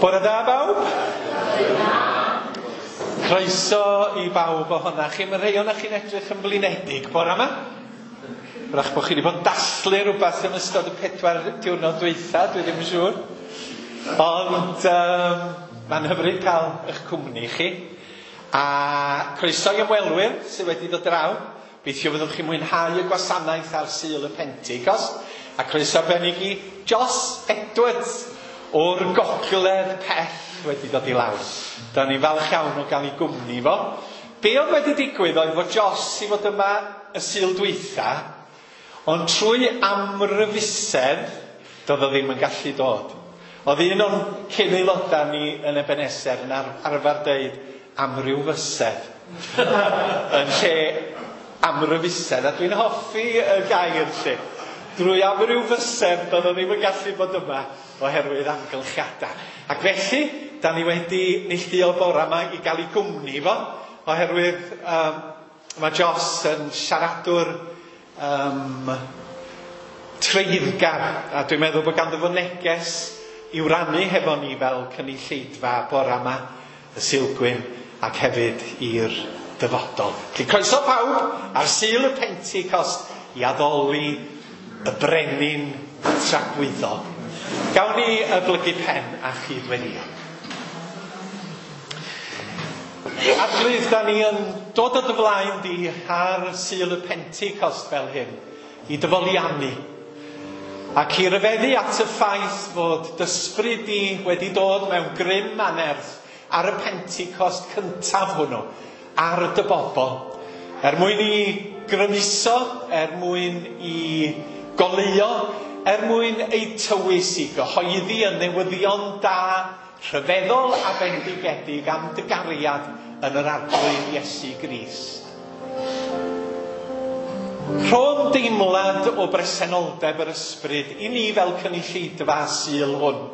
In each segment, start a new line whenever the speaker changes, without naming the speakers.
Bore da bawb. Croeso i bawb ohona chi. Mae rhai ohonoch chi'n edrych yn flinedig bore yma. Wrach bod chi wedi bod yn dathlu rhywbeth yn ystod y 4 diwrnod dwytha, dwi ddim yn siŵr. Ond mae'n hyfryd cael eich cwmni chi. A croeso i ymwelwyr sydd wedi dod draw. Gobeithio fyddwch chi'n mwynhau y gwasanaeth ar Sul y Pentecost. A croeso arbennig i Joss Edwards o'r gogledd pell wedi dod i lawr. Da ni'n falch iawn o gael ei gwmni fo. Be oedd wedi digwydd oedd fod Joss i fod yma y Sul dwytha, ond trwy amryfusedd doedd o ddim yn gallu dod. Oedd un o'n cyn aelodau ni yn Ebenezer yn arfer deud amryw fysedd yn lle amryfusedd, a dwi'n hoffi y gair lle. Drwy amryw fysedd doedd o ddim yn gallu bod yma oherwydd amgylchiadau. Ac felly, da ni wedi neilltuo bore yma i gael ei gwmni fo, oherwydd mae Joss yn siaradwr treiddgar, a dwi'n meddwl bod ganddo fo neges i'w rannu hefo ni fel cynulleidfa bore yma, y Sulgwyn, ac hefyd i'r dyfodol. Felly croeso pawb ar Sul y Pentecost i addoli y brenin tragwyddol. Gawn ni y blygu pen a chydweddio. Arglwydd, da ni yn dod o dy flaen di ar Sul y Pentecost fel hyn, i dyfoliannu, ac i ryfeddu at y ffaith fod dysbryd di wedi dod mewn grym a nerth ar y Pentecost cyntaf hwnnw, ar dy bobl, er mwyn i grymuso, er mwyn i goleuo, er mwyn eu tywys i gyhoeddi y newyddion da, rhyfeddol a bendigedig am dy gariad yn yr Arglwydd Iesu Grist. Rho'n deimlad o bresenoldeb yr ysbryd i ni fel cynulleidfa Sul hwn.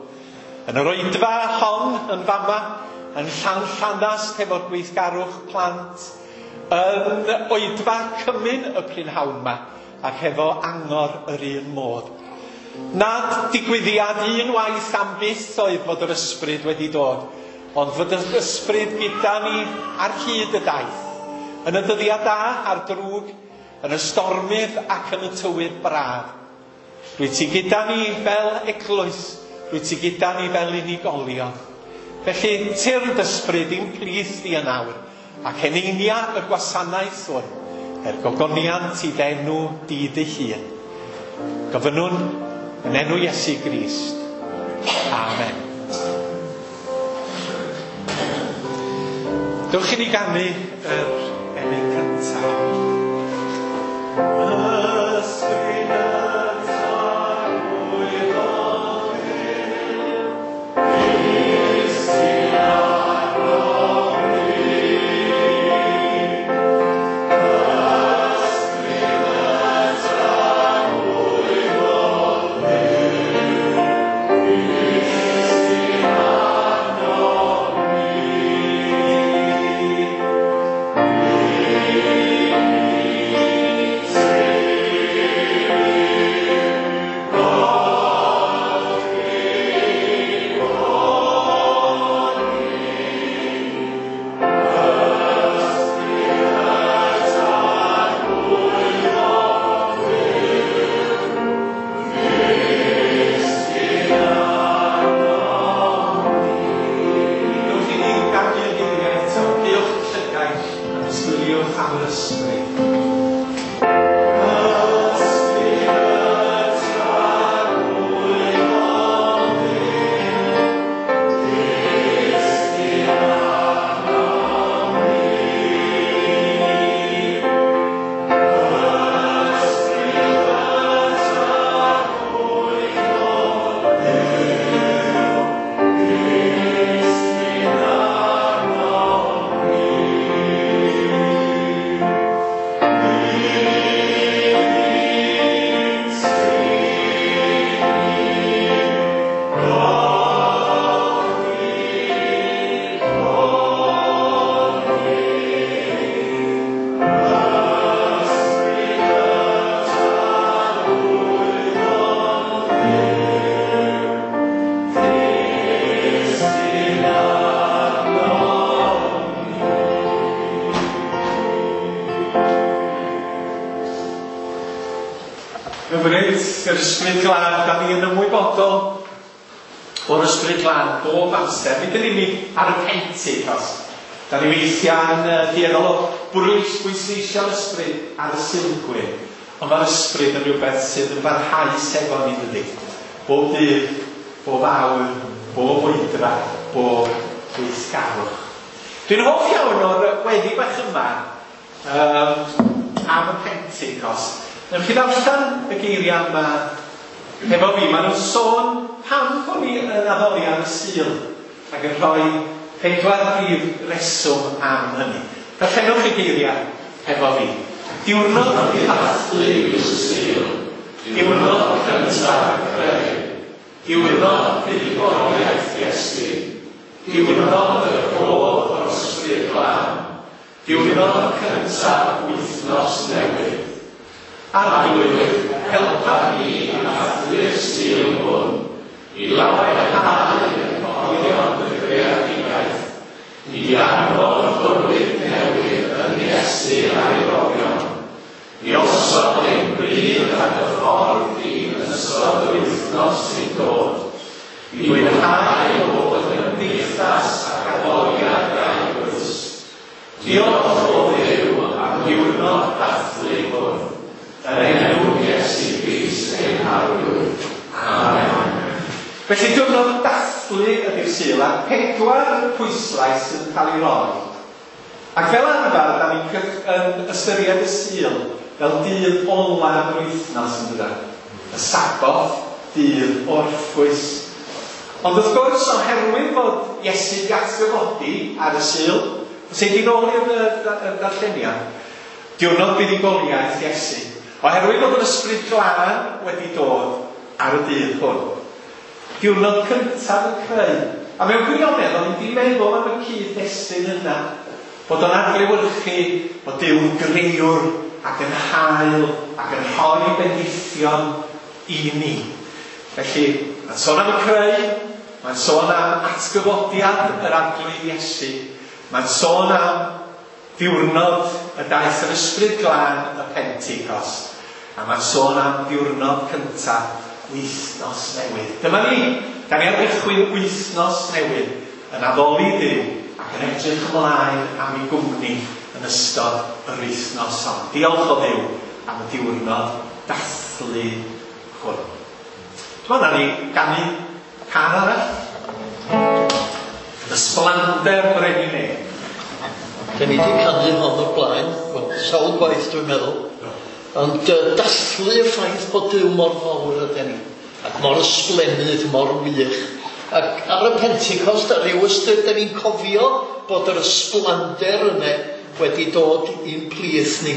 Yn yr oedfa hon yn fama, yn Llanllanast hefo'r gweithgarwch plant, yn oedfa cymun y prynhawn yma, ac hefo angor yr un modd. Nad digwyddiad unwaith am byth oedd fod yr ysbryd wedi dod, ond fod yr ysbryd gyda ni ar hyd y daith, yn y dyddiau da a'r drwg, yn y stormydd ac yn y tywydd braf. Rwyt ti gyda ni fel eglwys, rwyt ti gyda ni fel unigolion. Felly, tyrd ysbryd i'n plith di yn awr, ac eneinia y gwasanaeth hwn, er gogoniant i ddenw di dy hun. Gofynnwn yn enw Iesu Grist. Amen. Dewch i ni ganu yr emyn cyntaf. Hyfryd, yr Ysbryd Glân, da ni yn ymwybodol o'r Ysbryd Glân bob amser. Nid yn unig ar y Pentecost. Da ni weithiau'n dueddol o bwysleisio'r Ysbryd ar y Sulgwyn. Ond mae'r Ysbryd yn rhywbeth sydd yn barhaus efo ni, dydy. Bob dydd, bob awr, bob oedra, bob gweithgarwch. Dwi'n hoff iawn o'r weddi bach yma am y Pentecost. Newch chi ddarllen y geiriau yma efo fi. Maen nhw'n sôn pam bod ni yn addoli ar y Sul ac yn rhoi 4 prif reswm am hynny. Darllenwch y geiriau efo fi. Diwrnod dathlu yw'r Sul, diwrnod cyntaf y creu, diwrnod buddugoliaeth Iesu, diwrnod y rhodd o'r Ysbryd Glân, diwrnod cyntaf wythnos newydd. Arglwydd, helpa ni i ddathlu'r Sul hwn, i lawenhau yn rhoddion y greadigaeth, i anfon bywyd newydd yn Iesu a'i roddion, i osod ein bryd ar y ffordd di yn ystod yr wythnos sy'n dod, i fwynhau bod yn gymdeithas ac addoliad eglwys. Diolch o Dduw am ddiwrnod dathlu hwn, yn enw Iesu Grist ein Harglwydd. Amen. Felly diwrnod dathlu ydy'r Sul, a 4 pwyslais sydd yn cael ei roi. Ac fel arfer, da ni'n yn ystyried y Sul fel dydd olaf yr wythnos, yn dydan? Y Saboth, dydd orffwys. Ond wrth gwrs, oherwydd fod Iesu 'di atgyfodi ar y Sul, os ei di nôl i'r darlleniad, diwrnod buddugoliaeth Iesu, oherwydd fod yr Ysbryd Glân wedi dod ar y dydd hwn. Diwrnod cyntaf y creu. A mewn gwirionedd, o'n i 'di meddwl am y cyd-destun yna, bod o'n adlewyrchu bod Duw'n grëwr ac yn hael ac yn rhoi bendithion i ni. Felly, mae'n sôn am y creu, mae'n sôn am atgyfodiad yr Arglwydd Iesu, mae'n sôn am ddiwrnod y daeth yr Ysbryd Glân y Pentecost, a mae'n sôn am ddiwrnod cyntaf wythnos newydd. Dyma ni, da ni ar gychwyn wythnos newydd yn addoli Duw ac yn edrych ymlaen am ei gwmni yn ystod yr wythnos hon. Diolch o Dduw am y diwrnod dathlu hwn. Dwi'n meddwl ni ganu cân arall. Ysblander Brenin E.
Da ni wedi canu hon o'r blaen, wel, sawl gwaith dwi'n meddwl. Ond dathlu y ffaith bod Duw mor fawr ydyn ni, ac mor ysblennydd, mor wych. Ac ar y Pentecost, ar ryw ystyr, da ni'n cofio bod yr ysblander yna wedi dod i'n plith ni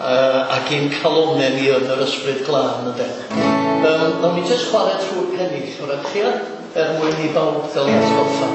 ac i'n calonnau ni yn yr Ysbryd Glân, ynde. Nawn ni jyst chwarae trwy'r pennill, wrach chi, er mwyn i bawb gael ei atgoffa.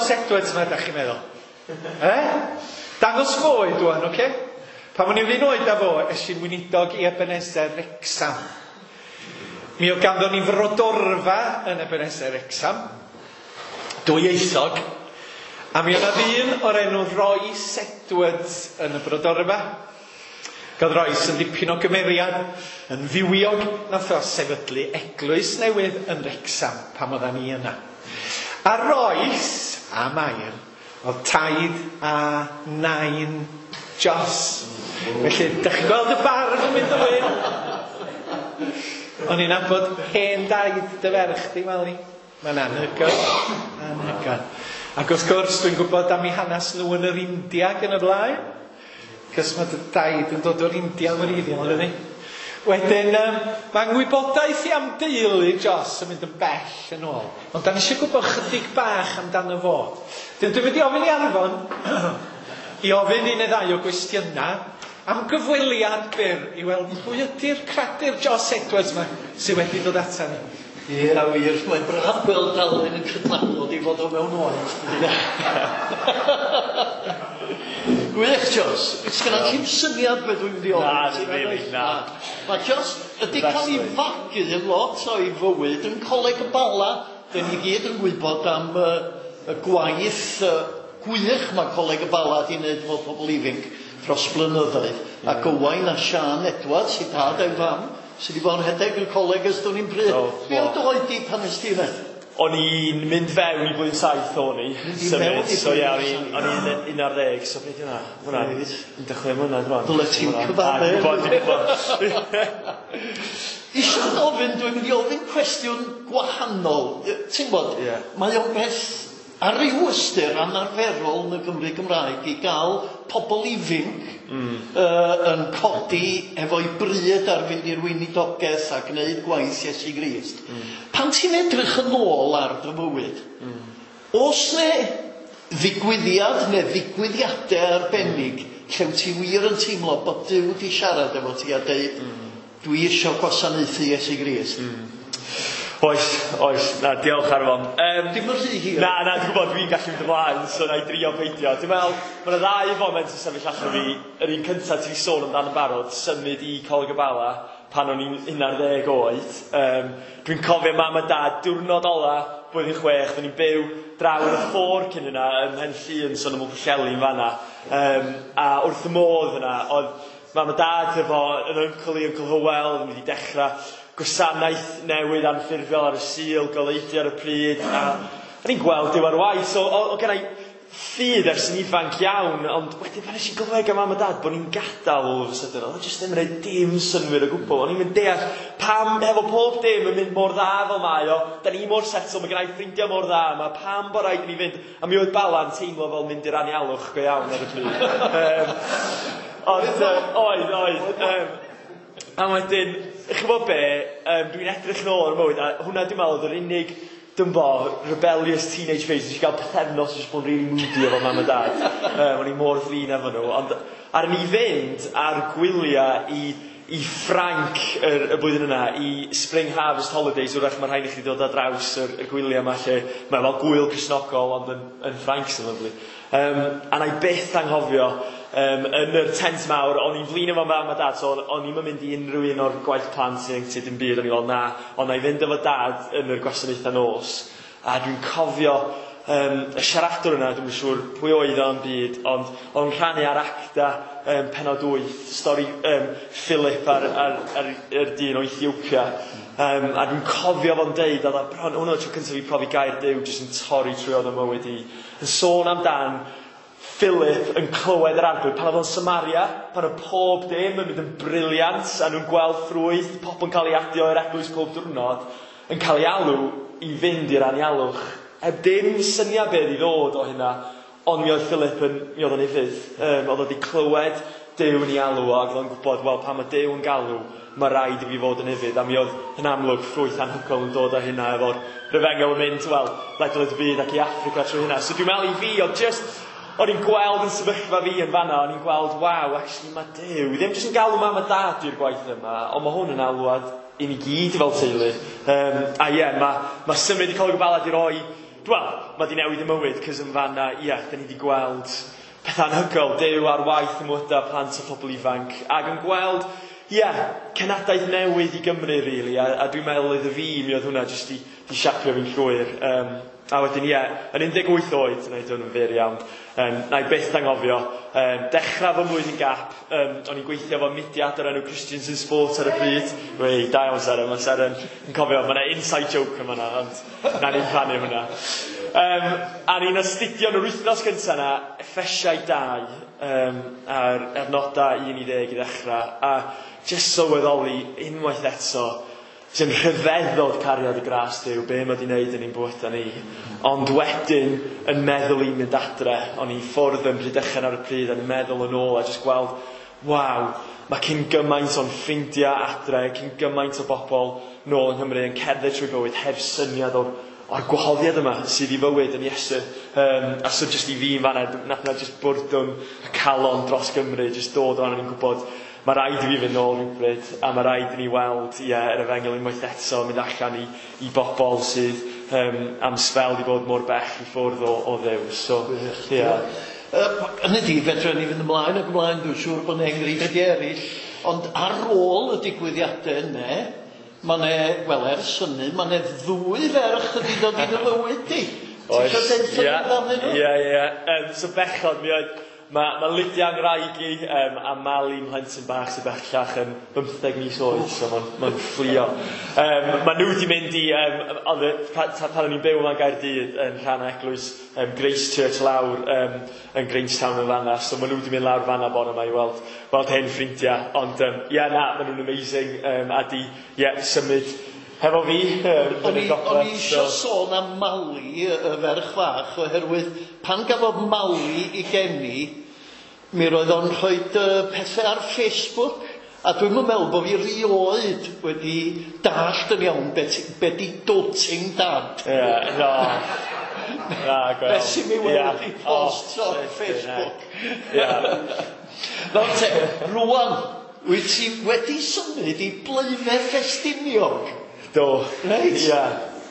Jos Edwards yma, da chi'n meddwl? E? Dangos fo oed wan, oce? Okay? Pan o'n i'r un oed â fo, es i'n weinidog i Ebenezer Wrecsam. Mi oedd ganddo ni frodorfa yn Ebenezer Wrecsam, dwyieithog, a mi oedd 'na ddyn o'r enw Royce Edwards yn y brodorfa. Gadd Royce yn dipyn o gymeriad, yn fywiog, nath o sefydlu eglwys newydd yn Wrecsam pan oeddan ni yna. A Royce, a Mair, oedd taid a nain Jos. Felly, dych chi'n gweld y barf yn mynd yn wyn? O'n i'n nabod hen daid dy ferch di, Mali. Mae'n anhygoel. Anhygoel. Ac wrth gwrs, dwi'n gwybod am eu hanes nhw yn yr India ac yn y blaen. Cos mae dy daid yn dod o'r India yn wreiddiol, dydy? Wedyn, mae ngwybodaeth i am deulu Jos yn mynd yn bell yn ôl. Ond da ni eisiau gwybod chydig bach amdano fo. Dwi'n mynd i ofyn i Arfon i ofyn un neu ddau o gwestiynau am gyfweliad byr i weld pwy ydy'r cradur Jos Edwards yma sydd wedi dod ata ni.
Ie, wir, mae'n braf gweld Alun yn cydnabod ei fod o mewn oed. Gwych, Jos. Sgynna ti'm syniad beth dwi'n mynd i ofyn?
Na, ddim rili, na.
Mae Jos ydi cael ei fagu yn lot o'i fywyd yn Coleg y Bala. Dyn ni gyd yn gwybod am y gwaith gwych mae Coleg y Bala di wneud efo pobl ifanc dros blynyddoedd. Ac Owain a Siân Edwards, ei dad a'i fam, sydd wedi bod yn rhedeg y coleg ers dwn i'm pryd.
Do,
Be oedd dy oed di pan nes ti yna?
O'n i'n mynd fewn i blwyddyn 7 o'n i.
Mynd i fewn i
So ie, o'n
blwyddyn
i'n o'n i'n 11, so beth yna? Hwnna,
Reit.
16 mlynedd rwan.
Dyle ti'n cyfadde.
Dwi'n gwybod, dwi'n gwybod.
Isio gofyn, dwi'n mynd i ofyn cwestiwn gwahanol. Ti'n gwybod, mae o'n beth ar ryw ystyr anarferol yn y Gymru Gymraeg i gael pobl ifanc yn codi efo'i bryd ar fynd i'r weinidogaeth a gwneud gwaith Iesu Grist. Pan ti'n edrych yn ôl ar dy fywyd, oes 'ne ddigwyddiad neu ddigwyddiadau arbennig lle wyt ti wir yn teimlo bod Duw di siarad efo ti a deud, dwi isio gwasanaethu Iesu Grist?
Oes, oes, na, diolch Arfon.
Dim yn rhy hir.
Na, na, dwi'n gwybod, dwi'n gallu mynd ymlaen, so na i drio peidio. Dwi'n meddwl, mae yna ddau foment yn sefyll allan fi. Yr un cyntaf ti 'di sôn amdano yn barod, symud i Coleg y Bala pan o'n i'n 11 oed. Dwi'n cofio mam a dad, diwrnod ola, blwyddyn 6, o'n i'n byw draw yn y ffôr cyn yna, ym Mhen Llŷn, so yn ymwyl Pwllheli yn fanna. A wrth y modd yna, oedd mam a dad efo yn uncle i, Uncle Hywel, oedd yn mynd i dechrau gwasanaeth newydd anffurfiol ar y Sul, goleudy ar y pryd, a o'n i'n gweld Duw ar waith, so o genna i ffydd ers yn ifanc iawn, ond wedyn pan nes i glywed gan mam a dad bod ni'n gadael all of a sudden, oedd o jyst ddim yn gwneud dim synnwyr o gwbl. O'n i'n mynd deall pam efo pob dim yn mynd mor dda fel mae o, da ni mor settled, mae gen i ffrindiau mor dda yma, pam bod rhaid i ni fynd? A mi oedd Bala'n teimlo fel mynd i'r anialwch go iawn ar y pryd. Ond, oedd, oedd. A wedyn, chi'n gwybod be, dwi'n edrych nôl ar y mywyd, a hwnna dwi'n meddwl oedd yr unig, dwi'n bo, rebellious teenage phase, nes i gael pythefnos jyst bod yn really moody efo mam a dad. O'n i mor flin efo nhw, ond ar ni fynd ar gwyliau i Ffrainc y blwyddyn yna, i Spring Harvest Holidays, wrach mae rhaid i chi ddod ar draws y gwyliau yma lle mae fel gwyl Cristnogol, ond yn Ffrainc sy'n lyfli. A na i byth anghofio, yn yr tent mawr, o'n i'n flin efo mam a dad, so o'n i'm yn mynd i unrhyw un o'r gwaith plant sy'n ieuenctid dim byd, o'n i'n fel na, ond na i fynd efo dad yn yr gwasanaethau nos. A dwi'n cofio y siaradwr yna, dwi'm yn siŵr pwy oedd o yn byd, ond o'n rhannu ar Acta pennod 8, stori Philip ar yr dyn o Ethiopia. A dwi'n cofio fo'n deud, oedd o bron, hwnna oedd tro cyntaf i profi gair Duw jyst yn torri trwy oedd y mywyd i. Yn sôn amdan Philip yn clywed yr Arglwydd pan oedd o'n Samaria, pan oedd pob dim yn mynd yn brilliant, a nhw'n gweld ffrwyth, pobl yn cael ei adio i'r eglwys pob diwrnod, yn cael ei alw i fynd i'r anialwch. Heb dim syniad beth i ddod o hynna, ond mi oedd Philip yn, mi oedd o'n ufudd. Oedd o wedi clywed Duw yn ei alw o, ac oedd o'n gwybod, wel, pan mae Duw yn galw, mae rhaid i fi fod yn ufudd. A mi oedd yn amlwg ffrwyth anhygoel yn dod â hynna efo'r rhyfengel yn mynd, wel, ledled y byd ac i Affrica trwy hynna. So dwi'n meddwl i fi, oedd just, o'n i'n gweld yn sefyllfa fi yn fanna, o'n i'n gweld, waw, actually mae Duw ddim jyst yn galw mam a dad i'r gwaith yma, ond mae hwn yn alwad i ni gyd fel teulu. A ie, mae symud i Coleg y Bala di roi Wel, mae di newid y mywyd, cos yn fanna, ia, da ni wedi gweld pethau anhygoel, Duw ar waith ym mywydau plant a phobl ifanc, ac yn gweld, ia, cenadaeth newydd i Gymru, really, a dwi'n meddwl iddo fi, mi oedd hwnna jyst di siapio fi'n llwyr. A wedyn, ie, yn 18 oed, na i dod yn fyr iawn, na i byth anghofio, dechrau fy mlwyddyn gap, o'n i'n gweithio efo mudiad o'r enw Christians in Sport ar y pryd. Wei, da iawn Seren, mae Seren yn cofio, mae yna inside joke yma na, ond na ni'n rhannu hwnna. A ni'n astudio yn yr wythnos gyntaf yna, Effesiau 2, a'r adnodau 1 i 10 i ddechrau, a jyst sylweddoli unwaith eto, sy'n rhyfeddod cariad y gras Duw, be mae di wneud yn ein bywydau ni. Ond wedyn, yn meddwl i mynd adre, o'n i ffwrdd yn Rhydychen ar y pryd, yn meddwl yn ôl a jyst gweld, waw, mae cyn gymaint o'n ffrindiau adre, cyn gymaint o bobl nôl yng Nghymru yn cerdded trwy bywyd heb syniad o'r gwahoddiad yma sydd i fywyd yn Iesu. A so jyst i fi yn fanna, nath na jyst bwrdwn y calon dros Gymru, jyst dod o'n i'n gwybod, mae rhaid i fi fynd nôl rhywbryd, a mae rhaid i ni weld, ie, yr efengyl unwaith eto mynd allan i bobl sydd am sbel di bod mor bell i ffwrdd o Dduw. So, ie.
Yn y di, fedra ni fynd ymlaen ac ymlaen, dwi'n siŵr bod yna enghreifftiau eraill, ond ar ôl y digwyddiadau yna, mae 'na, wel, ers hynny, mae 'na ddwy ferch wedi dod i dy fywyd di. Ti
Oes.
isio deud
Ie.
amdanyn nhw?
Ie. So bechod, mi oedd, mae Lydia ngwraig i a Mali mhlentyn bach sydd bellach yn 15 mis oed, so mae'n ma fflio. Mae nhw wedi mynd i, oedd pan o'n i'n byw yma yn Gaerdydd yn rhan o eglwys Grace Church lawr yn Grangetown yn fanna, so maen nhw wedi mynd lawr fanna bore yma i weld hen ffrindiau. Ond ie, na, maen nhw'n amazing, a di, ie, symud hefo fi
O'n
yn y
i,
gogledd,
o'n i eisiau
so
sôn am Mali, y ferch fach, oherwydd pan gafodd Mali i geni, mi roedd o'n rhoi pethau ar Facebook, a dwi'm yn meddwl bod fi rioed wedi dallt yn iawn be di doting dad.
Ie, no. Na, gweld.
Beth sy'n mi weld i posts
Oh,
ar Facebook.
Ie.
Nawr te, rwan, wyt ti wedi symud i Blaenau Ffestiniog?
Do.
Reit?
Ie.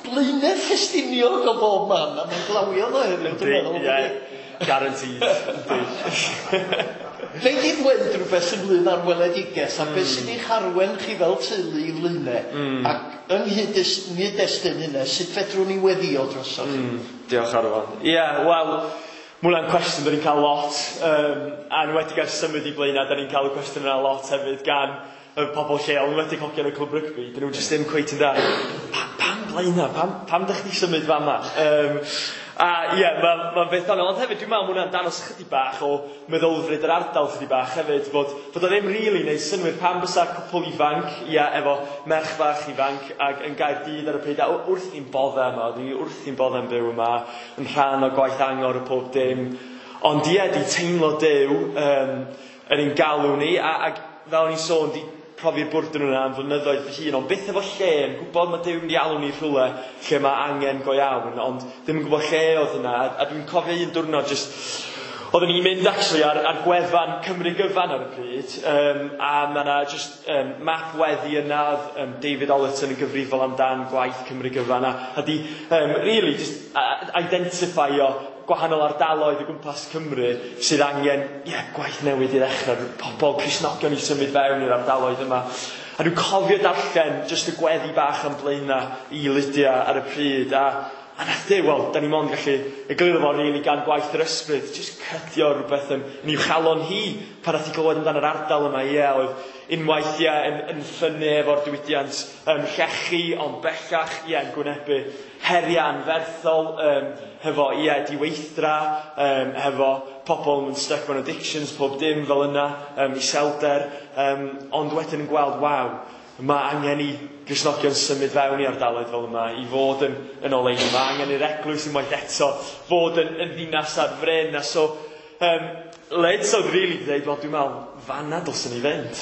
Blaenau Ffestiniog o bob man, a mae'n glawio ddo heddiw, dwi'n meddwl.
Ie. Guaranteed. Yndi.
Nei di ddweud rhywbeth ynglyn â'r weledigaeth a beth sy'n eich arwen chi fel teulu i Flaenau, ac yng nghyd-destun hynna, sut fedrwn ni weddio drosoch chi?
Diolch Arfon. Ie, wel, mae hwnna'n cwestiwn da ni'n cael lot, a yn enwedig ers symud i Blaenau, da ni'n cael y cwestiwn yna lot hefyd gan y pobl lleol, yn enwedig hogiau yn y clwb rygbi, dyn nhw jyst ddim cweit yn da. Pam Blaenau? Pam dych chi symud fama? A ie, ma beth anodd. Ond hefyd, dwi'n meddwl ma' hwnna'n dangos chydig bach o meddylfryd yr ardal chydig bach hefyd, bod o ddim rili neud synnwyr pam bysa cwpl ifanc, ie, efo merch fach ifanc, ac yn Gaerdydd ar y pryd, a wrth i'n bodde yma, dwi wrth i'n bodde yn byw yma, yn rhan o gwaith angor y pob dim. Ond ie, di teimlo Duw yn ein galw ni, ac fel o'n i'n sôn, di profi'r bwrdwn yna am flynyddoedd fy hun, ond byth efo lle, yn gwybod mae Duw yn mynd i alw ni rhywle lle mae angen go iawn, ond ddim yn gwybod lle oedd yna, a dwi'n cofio un diwrnod jyst, oeddwn i'n mynd actually ar gwefan Cymru Gyfan ar y pryd, a mae yna jyst map weddi yna, oedd David Ollerton yn gyfrifol amdan gwaith Cymru Gyfan, a di really just identify-o gwahanol ardaloedd o gwmpas Cymru sydd angen, ie, gwaith newydd i ddechrau, pobl Cristnogion i symud fewn i'r ardaloedd yma. A dwi'n cofio darllen jyst y gweddi bach am Blaenau i Lydia ar y pryd, a nath Duw, wel, da ni mond gallu egluro fo rili gan gwaith yr ysbryd, jyst cydio rhywbeth yn i'w chalon hi pan nath hi glywed amdan yr ardal yma, ie, oedd unwaith, ie, yn ffynnu efo'r diwydiant llechi, ond bellach, ie, yn gwynebu heriau anferthol, hefo, ie, diweithdra, hefo pobl yn stuck mewn addictions, pob dim fel yna, iselder, ond wedyn yn gweld, waw, mae angen i Gristnogion symud fewn i ardaloedd fel yma, i fod yn oleuni. Mae angen i'r eglwys unwaith eto fod yn ddinas ar fryn. A so, Lyd, so really dweud, wel, dwi'n meddwl, fanna dylswn i fynd.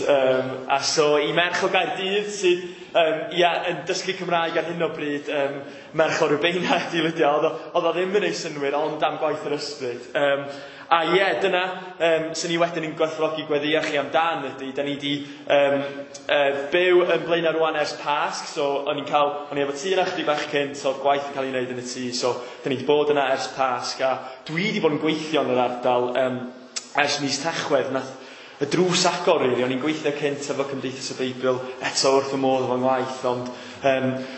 A so, i merch o Gaerdydd sydd yn dysgu Cymraeg ar hyn o bryd, merch o Rhiwbeina ydi Lydia, oedd o ddim yn ei synwyr, ond am gwaith yr ysbryd. A ie, dyna sy'n ni wedyn yn gwerthfawrogi gweddïo chi amdan ydy, da ni wedi byw yn Blaenau rwan ers Pasg, so o'n i efo tŷ yna chydig bach cynt, so oedd gwaith yn cael ei wneud yn y tŷ, so da ni wedi bod yna ers Pasg, a dwi wedi bod yn gweithio yn yr ardal ers mis Tachwedd, nath y drws agor, really. O'n i'n gweithio cynt efo Cymdeithas y Beibl, eto wrth y modd efo'n ngwaith, ond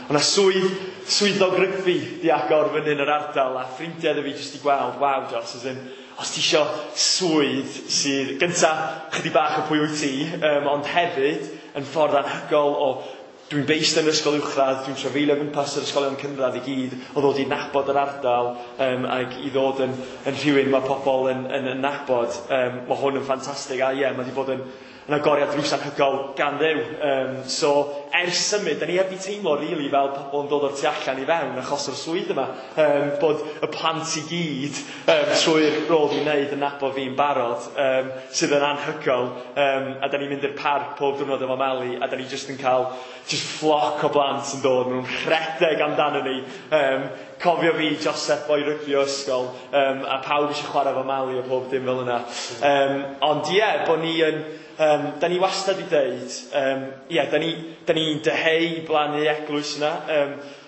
o'na swyddog rygbi di agor fyny yn yr ardal, a ffrindiau iddo fi jyst i gweld, waw Jos, as in, os ti isio swydd sydd, gynta, chydig bach o pwy wyt ti, ond hefyd yn ffordd anhygoel o, dwi'n based yn yr ysgol uwchradd, dwi'n trafeilio gwmpas yr ysgolion cynradd i gyd, o ddod i nabod yr ardal, ac i ddod yn rhywun mae pobl yn nabod. Mae hwn yn ffantastig, a ie, mae wedi bod yn agoriad drws anhygoel gan Dduw. So, ers symud, da ni heb di teimlo really fel pobl yn dod o'r tu allan i fewn achos o'r swydd yma. Bod y plant i gyd trwy'r rôl dwi'n wneud yn nabod fi'n barod, sydd yn anhygoel. A da ni'n mynd i'r parc pob diwrnod efo Mali, a da ni jyst yn cael just flock o blant yn dod, maen nhw'n rhedeg amdano ni. Cofio fi, Joseph, boi rygbi o ysgol, a pawb eisiau chwarae efo Mali a pob dim fel yna. Ond ie, bod ni yn... da ni wastad i ddeud, da ni'n dyheu i blannu eglwys yna,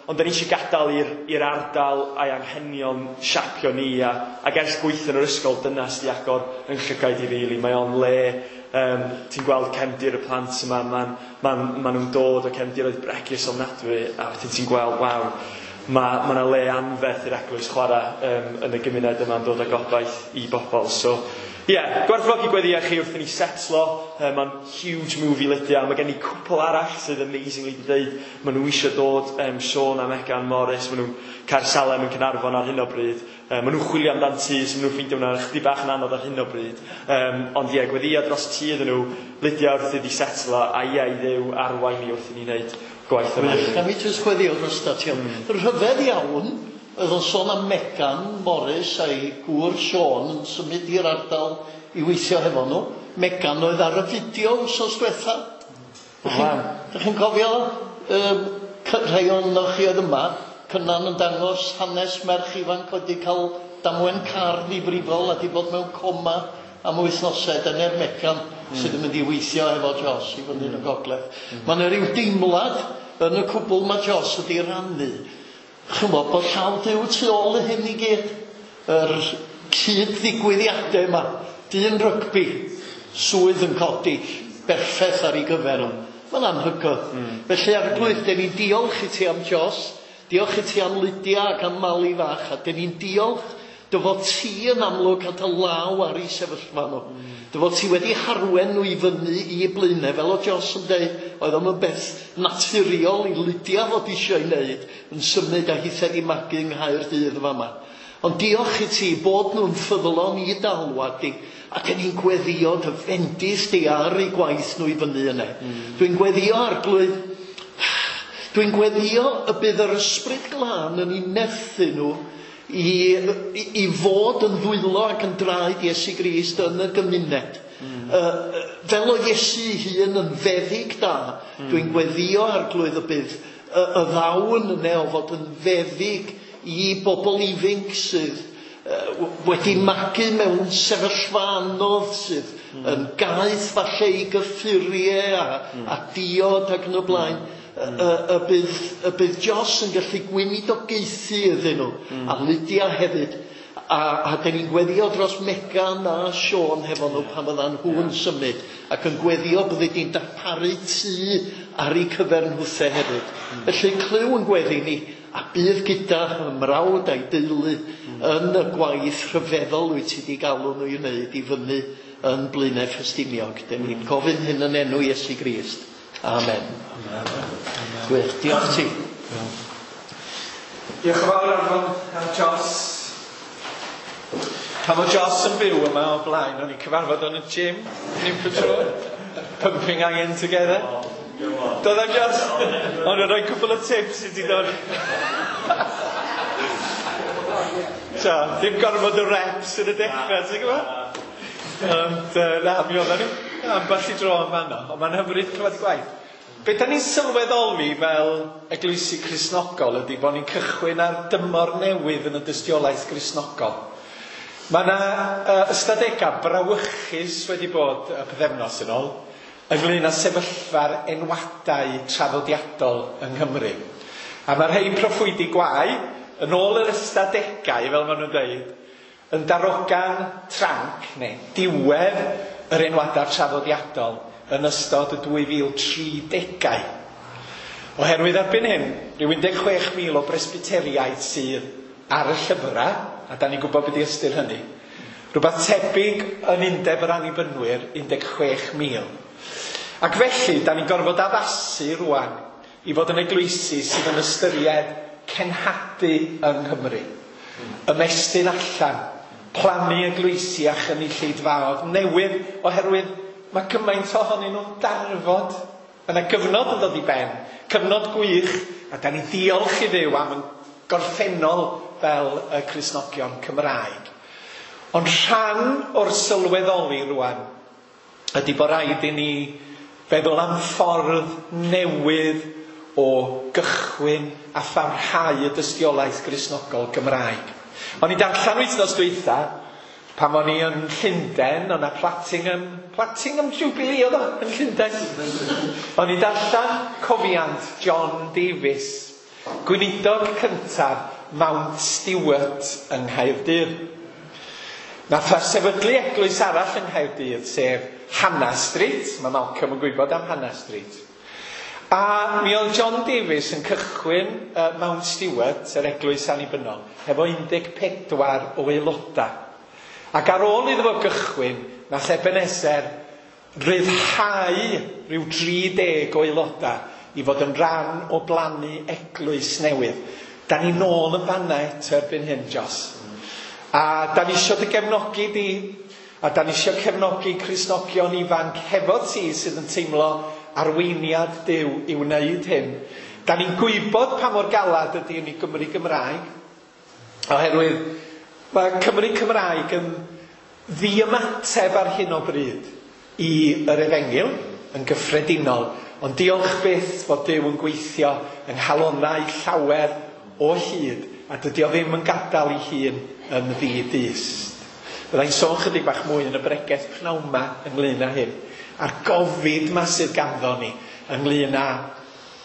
ond da ni eisiau gadael i'r ardal a'i anghenion siapio ni, ac ers gweithio yn yr ysgol, dyna sydd wedi agor yn llygaid i fi. Mae o'n le, ti'n gweld cefndir y plant yma, ma nhw'n dod o cefndiroedd bregus ofnadwy, a wedyn ti'n gweld, waw, mae yna le anferth i'r eglwys chwarae yn y gymuned yma'n dod â gobaith i bobl. So, ie, gwerthfawrogi gweddïo chi wrth i ni setlo. Mae'n huge move i Lydia. Mae gen i cwpl arall sydd amazingly wedi dweud maen nhw eisiau dod, Sean a Megan Morris, maen nhw'n Caersalem yn Caernarfon ar hyn o bryd. Maen nhw'n chwilio amdan tŷ, so maen nhw'n ffeindio hwnna chydig bach yn anodd ar hyn o bryd. Ond ie, gweddïo dros tŷ iddyn nhw, Lydia wrth iddi setlo, a ie, i Dduw arwain ni wrth i ni wneud gwaith yma.
A mi jyst gweddïo dros ti. Rhyfedd iawn, oedd o'n sôn am Megan Morris a'i gŵr Sean yn symud i'r ardal i weithio hefo nhw. Megan oedd ar y fideo wsos diwetha. Dych chi'n cofio rhai ohonoch chi oedd yma, Cynan yn dangos hanes merch ifanc oedd wedi cael damwain car ddifrifol a wedi bod mewn coma am wythnosau. Dyna'r Megan sydd yn mynd i weithio efo Jos i fyny yn y gogledd. Mae yna rhyw deimlad yn y cwbl mae Jos wedi rannu. Chymod, bod llaw Duw tu ôl i hyn i gyd. Yr cyd-ddigwyddiadau yma. Dyn rygbi, swydd yn codi, berffaith ar ei gyfer o. Mae'n anhygoel. Felly, Arglwydd, dyn ni'n diolch i ti am Jos, diolch i ti am Lydia ac am Mali fach, a dyn ni'n diolch dy fod ti yn amlwg a dy law ar ei sefyllfa nhw. Dy fod ti wedi harwen nhw i fyny i Blaenau, fel o Jos yn dweud, oedd o'm yn beth naturiol i Lydia fod eisiau ei wneud, yn symud a hithau i magu yng Nghaerdydd fama. Ond diolch i ti bod nhw'n ffyddlon i d'alwad di, ac yn ni'n gweddio dy fendith di ar eu gwaith nhw i fyny yna. Dwi'n gweddio, Arglwydd, dwi'n gweddio y bydd yr ysbryd glân yn ei nerthu nhw i fod yn ddwylo ac yn draed Iesu Grist yn y gymuned. Fel o Iesu hun yn feddyg da, dwi'n gweddio, Arglwydd, y bydd y ddawn yna o fod yn feddyg i bobl ifanc sydd wedi magu mewn sefyllfa anodd, sydd yn gaeth falle i gyffuriau a diod ac yn y blaen. Y bydd Jos yn gallu gweinidogaethu iddyn nhw, a Lydia hefyd, a dyn ni'n gweddio dros Megan a Sean hefo nhw pan fyddan nhw'n symud, ac yn gweddio byddi di'n darparu tŷ ar eu cyfer nhwthe hefyd. Felly clyw yn gweddi ni, a bydd gyda ymrawd a'i deulu yn y gwaith rhyfeddol wyt ti wedi galw nhw i wneud i fyny yn Blaenau Ffestiniog. Dyn ni'n gofyn hyn yn enw Iesu Grist. Amen. Amen. Gwych, diolch ti.
Diolch yn fawr Arfon a Jos. Pan oedd Jos yn byw yma o blaen, o'n i'n cyfarfod yn y gym, Newport Road, pumping iron together. Doedd am Jos? O'n i'n rhoi cwpl o tips i ti ddod. So, ddim gorfod o reps yn y dechrau, ti'n gwybod? Ond na, mi oedden ni ambell i dro yn fanno, ond mae'n hyfryd clywed y gwaith. Be da ni'n sylweddoli fel eglwysi Cristnogol ydy bod ni'n cychwyn ar dymor newydd yn y dystiolaeth Gristnogol. Mae yna ystadegau brawychus wedi bod y pythefnos yn ôl ynglyn â sefyllfa'r enwadau traddodiadol yng Nghymru. A mae rhai proffwydi gwae, yn ôl yr ystadegau, fel maen nhw'n dweud, yn darogan tranc, neu diwedd yr enwadau traddodiadol yn ystod y 2030au. Oherwydd erbyn hyn, rhyw 16,000 o bresbyteriaid sydd ar y llyfrau, a da ni'n gwybod beth i ystyr hynny. Rhywbeth tebyg yn undeb yr Annibynwyr, 16,000. Ac felly, da ni'n gorfod addasu rwan i fod yn eglwysi sydd yn ystyried cenhadu yng Nghymru. Ymestyn allan, plannu eglwysi a chynulleidfaoedd newydd, oherwydd mae cymaint ohonyn nhw'n darfod. Mae yna gyfnod yn dod i ben, cyfnod gwych, a da ni diolch i Dduw am yn gorffennol fel y Cristnogion Cymraeg. Ond rhan o'r sylweddoli rwan ydy bod rhaid i ni feddwl am ffordd newydd o gychwyn a pharhau y dystiolaeth Gristnogol Gymraeg. O'n i'n darllen wythnos dwytha, pan o'n i yn Llundain, o'na Platinum Jubilee oedd o yn Llundain. O'n i'n darllen cofiant John Davies, gweinidog cyntaf Mount Stewart yng Nghaerdydd. Nath o sefydlu eglwys arall yng Nghaerdydd, sef Hannah Street. Mae Malcolm yn gwybod am Hannah Street. A mi oedd John Davies yn cychwyn Mount Stewart, yr eglwys annibynnol, hefo 14 o aelodau. Ac ar ôl iddo fo gychwyn, nath Ebenezer ryddhau rhyw 30 o aelodau i fod yn rhan o blannu eglwys newydd. Da ni nôl yn fanna eto erbyn hyn, Jos. A da ni isio dy gefnogi di, a da ni isio cefnogi Cristnogion ifanc hefo ti sydd yn teimlo arweiniad Duw i wneud hyn. Da ni'n gwybod pa mor galad ydy yn ei Gymru Gymraeg, oherwydd mae Cymru Cymraeg yn ddiymateb ar hyn o bryd i yr efengyl yn gyffredinol, ond diolch byth fod Duw yn gweithio yng nghalonnau llawer o hyd, a dydy o ddim yn gadael ei hun yn ddi-dyst. Byddai'n sôn chydig bach mwy yn y bregeth pnawn 'ma ynglyn â hyn, a'r gofid 'ma sydd ganddo ni ynglyn â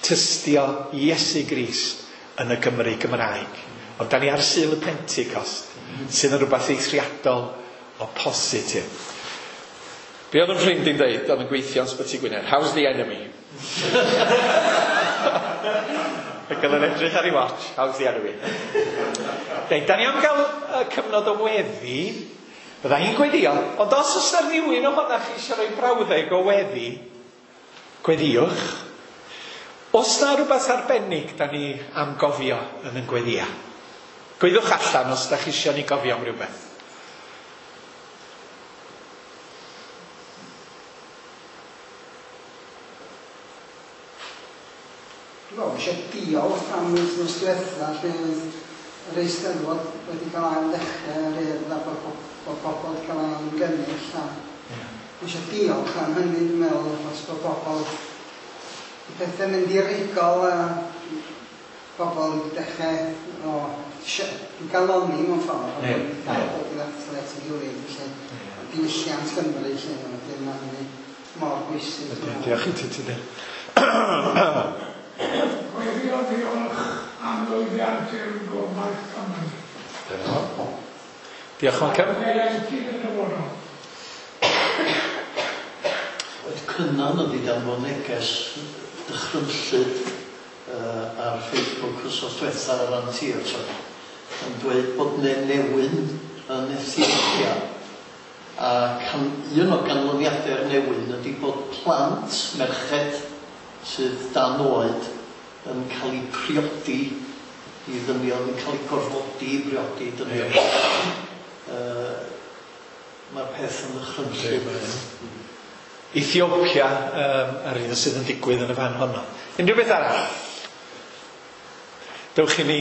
tystio Iesu Grist yn y Gymru Gymraeg. Ond da ni ar Sul y Pentecost, sydd yn rhywbeth eithriadol o positif. Be oedd yn ffrind i'n dweud, oedd yn gweithio yn Sbyty Gwynedd? How's the enemy? Ac oedd yn edrych ar ei watch, how's the enemy? Reit, da ni am gael cyfnod o weddi. Bydda i'n gweddio, ond os oes yna rhywun ohonoch chi eisiau rhoi brawddeg o weddi, gweddiwch. Os na rhywbeth arbennig da ni am gofio yn yn gweddia, gweddwch allan os da chi eisiau ni gofio am rhywbeth.
Dwi'n meddwl eisiau diolch am wythnos diwetha lle oedd yr Eisteddfod wedi cael ail ddechrau yr Urdd a bod pobl wedi cael ail ymgynnull a eisiau diolch am hynny, dwi'n meddwl, achos bod pobl y pethau mynd i rigol a pobl wedi dechrau o galoni mewn ffordd a bod dal dod i ddathlu at ei gilydd, felly diwylliant Cymru lle wedyn mae hynny mor bwysig.
Diolch i ti, Tudur.
Gweddio diolch am lwyddiant i'r Gobaith Cymru.
Diolch, Malcolm.
Oedd Cynan yn ddidanfon neges dychrynllyd ar Facebook wythnos diwetha ar ran theatr yn dweud bod newyn yn Ethiopia, a un o ganlyniadau'r newyn ydy bod plant merched sydd dan oed yn cael eu priodi i ddynion, yn cael eu gorfodi i briodi dynion. Mae'r peth yn ddychrynllyd.
Ethiopia, yr un sydd yn digwydd yn y fan honno. Unrhyw beth arall? Dewch i ni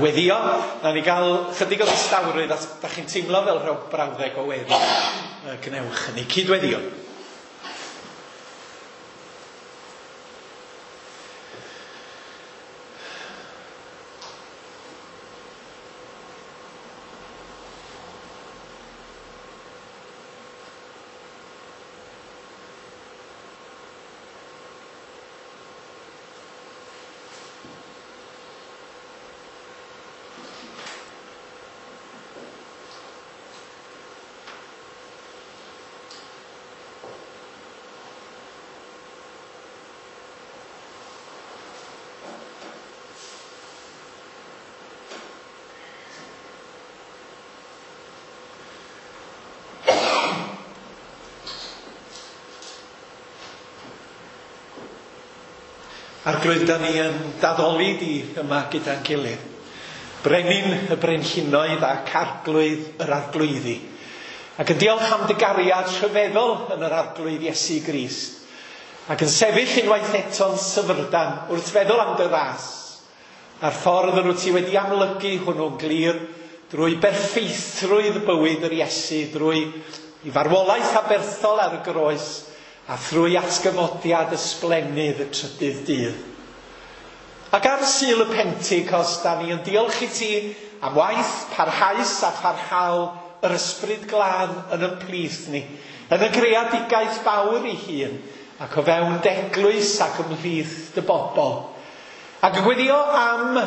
weddio. Na ni gael chydig o ddistawrwydd os da chi'n teimlo fel rhyw brawddeg o weddi. Gwnewch hynny. Cydweddio. Arglwydd, da ni yn daddoli di yma gyda'n gilydd. Brenin y brenhinoedd ac arglwydd yr arglwyddi. Ac yn diolch am dy gariad rhyfeddol yn yr arglwydd Iesu Grist. Ac yn sefyll unwaith eto'n syfrdan wrth feddwl am dy ras. A'r ffordd yr wyt ti wedi amlygu hwnnw'n glir drwy berffeithrwydd bywyd yr Iesu, drwy i farwolaeth aberthol ar y groes, a thrwy atgyfodiad ysblennydd y trydydd dydd. Ac ar Sul y Pentecost, da ni yn diolch i ti am waith parhaus a pharhaol yr Ysbryd Glân yn ein plith ni, yn y greadigaeth fawr ei hun, ac o fewn d'eglwys ac ymhlith dy bobl. Ac yn gweddio am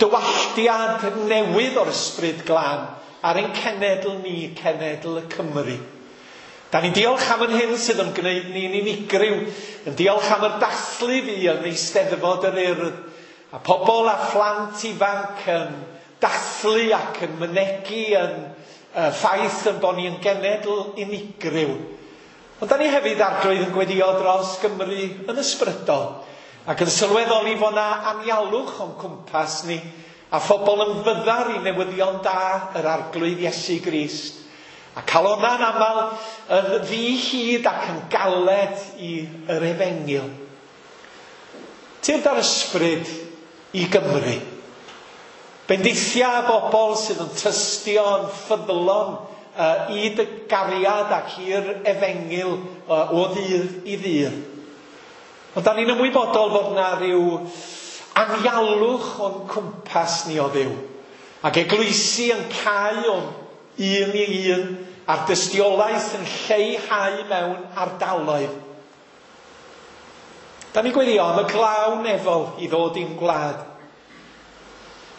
dywalltiad newydd o'r Ysbryd Glân ar ein cenedl ni, cenedl y Cymru. Da ni'n diolch am yr hyn sydd yn gwneud ni'n unigryw, yn diolch am yr dathlu fi yn Eisteddfod yr Urdd, a pobl a phlant ifanc yn dathlu ac yn mynegi yn ffaith yn bod ni yn genedl unigryw. Ond da ni hefyd arglwydd yn gweddio dros Gymru yn ysbrydol, ac yn sylweddoli fod na anialwch o'n cwmpas ni, a phobl yn fyddar i newyddion da yr arglwydd Iesu Grist. A calona'n aml yn ddi-hid ac yn galed i yr efengyl. Tyrd ar ysbryd i Gymru. Bendithia bobl sydd yn tystio yn ffyddlon i dy gariad ac i'r efengyl o ddydd i ddydd. Ond da ni'n ymwybodol fod na ryw anialwch o'n cwmpas ni o Dduw. Ac eglwysi yn cau o'n un i un, a'r dystiolaeth yn lleihau mewn ardaloedd. Da ni'n gweddio am y glaw nefol i ddod i'n gwlad.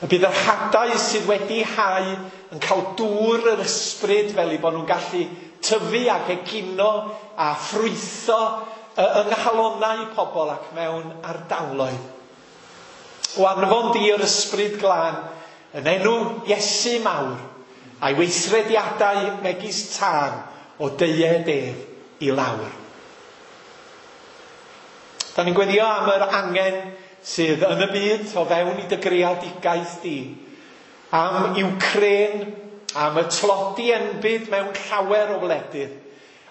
Y bydd yr hadau sydd wedi hau yn cael dŵr yr ysbryd fel eu bod nhw'n gallu tyfu ac egino a ffrwytho yng nghalonnau pobl ac mewn ardaloedd. O anfon di yr ysbryd glân yn enw Iesu mawr, a'i weithrediadau megis tân o deued ef i lawr. Da ni'n gweddio am yr angen sydd yn y byd o fewn i dy greadigaeth di, am Iwcrên, am y tlodi enbyd mewn llawer o wledydd,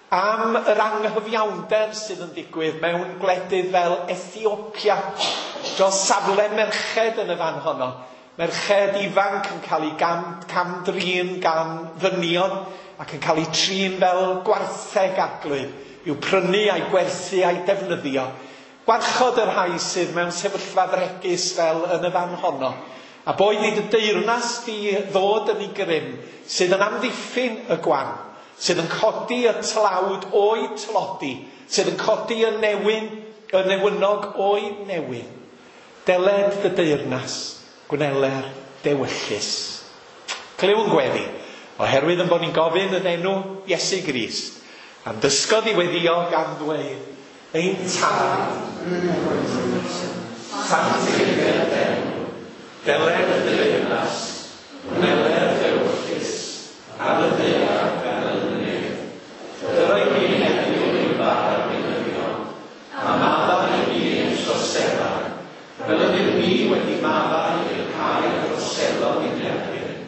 am yr anghyfiawnder sydd yn digwydd mewn gwledydd fel Ethiopia, dros safle merched yn y fan honno, merched ifanc yn cael eu cam-drin gan ddynion ac yn cael eu trin fel gwartheg arglwydd, i'w prynu a'i gwerthu a'i defnyddio. Gwarchod y rhai sydd mewn sefyllfa fregus fel yn y fan honno. A boed i dy deyrnas di ddod yn ei grym, sydd yn amddiffyn y gwan, sydd yn codi y tlawd o'i tlodi, sydd yn codi y newyn, y newynog o'i newyn. Deled dy deyrnas, gwneler dewyllys. Clyw yn gweddi, oherwydd yn bod ni'n gofyn yn enw Iesu Grist, am dysgodd i weddio gan ddweud, ein Tad, sanctiffied enw, deled dy deyrnas, gwneler dewyllys, ar y ddaear fel yn y nef. Dyrau ni heddiw ein bara beunyddiol, a maddau i ni ein troseddau, fel ydym ni wedi maddau i'r rhai a droseddodd i'n erbyn.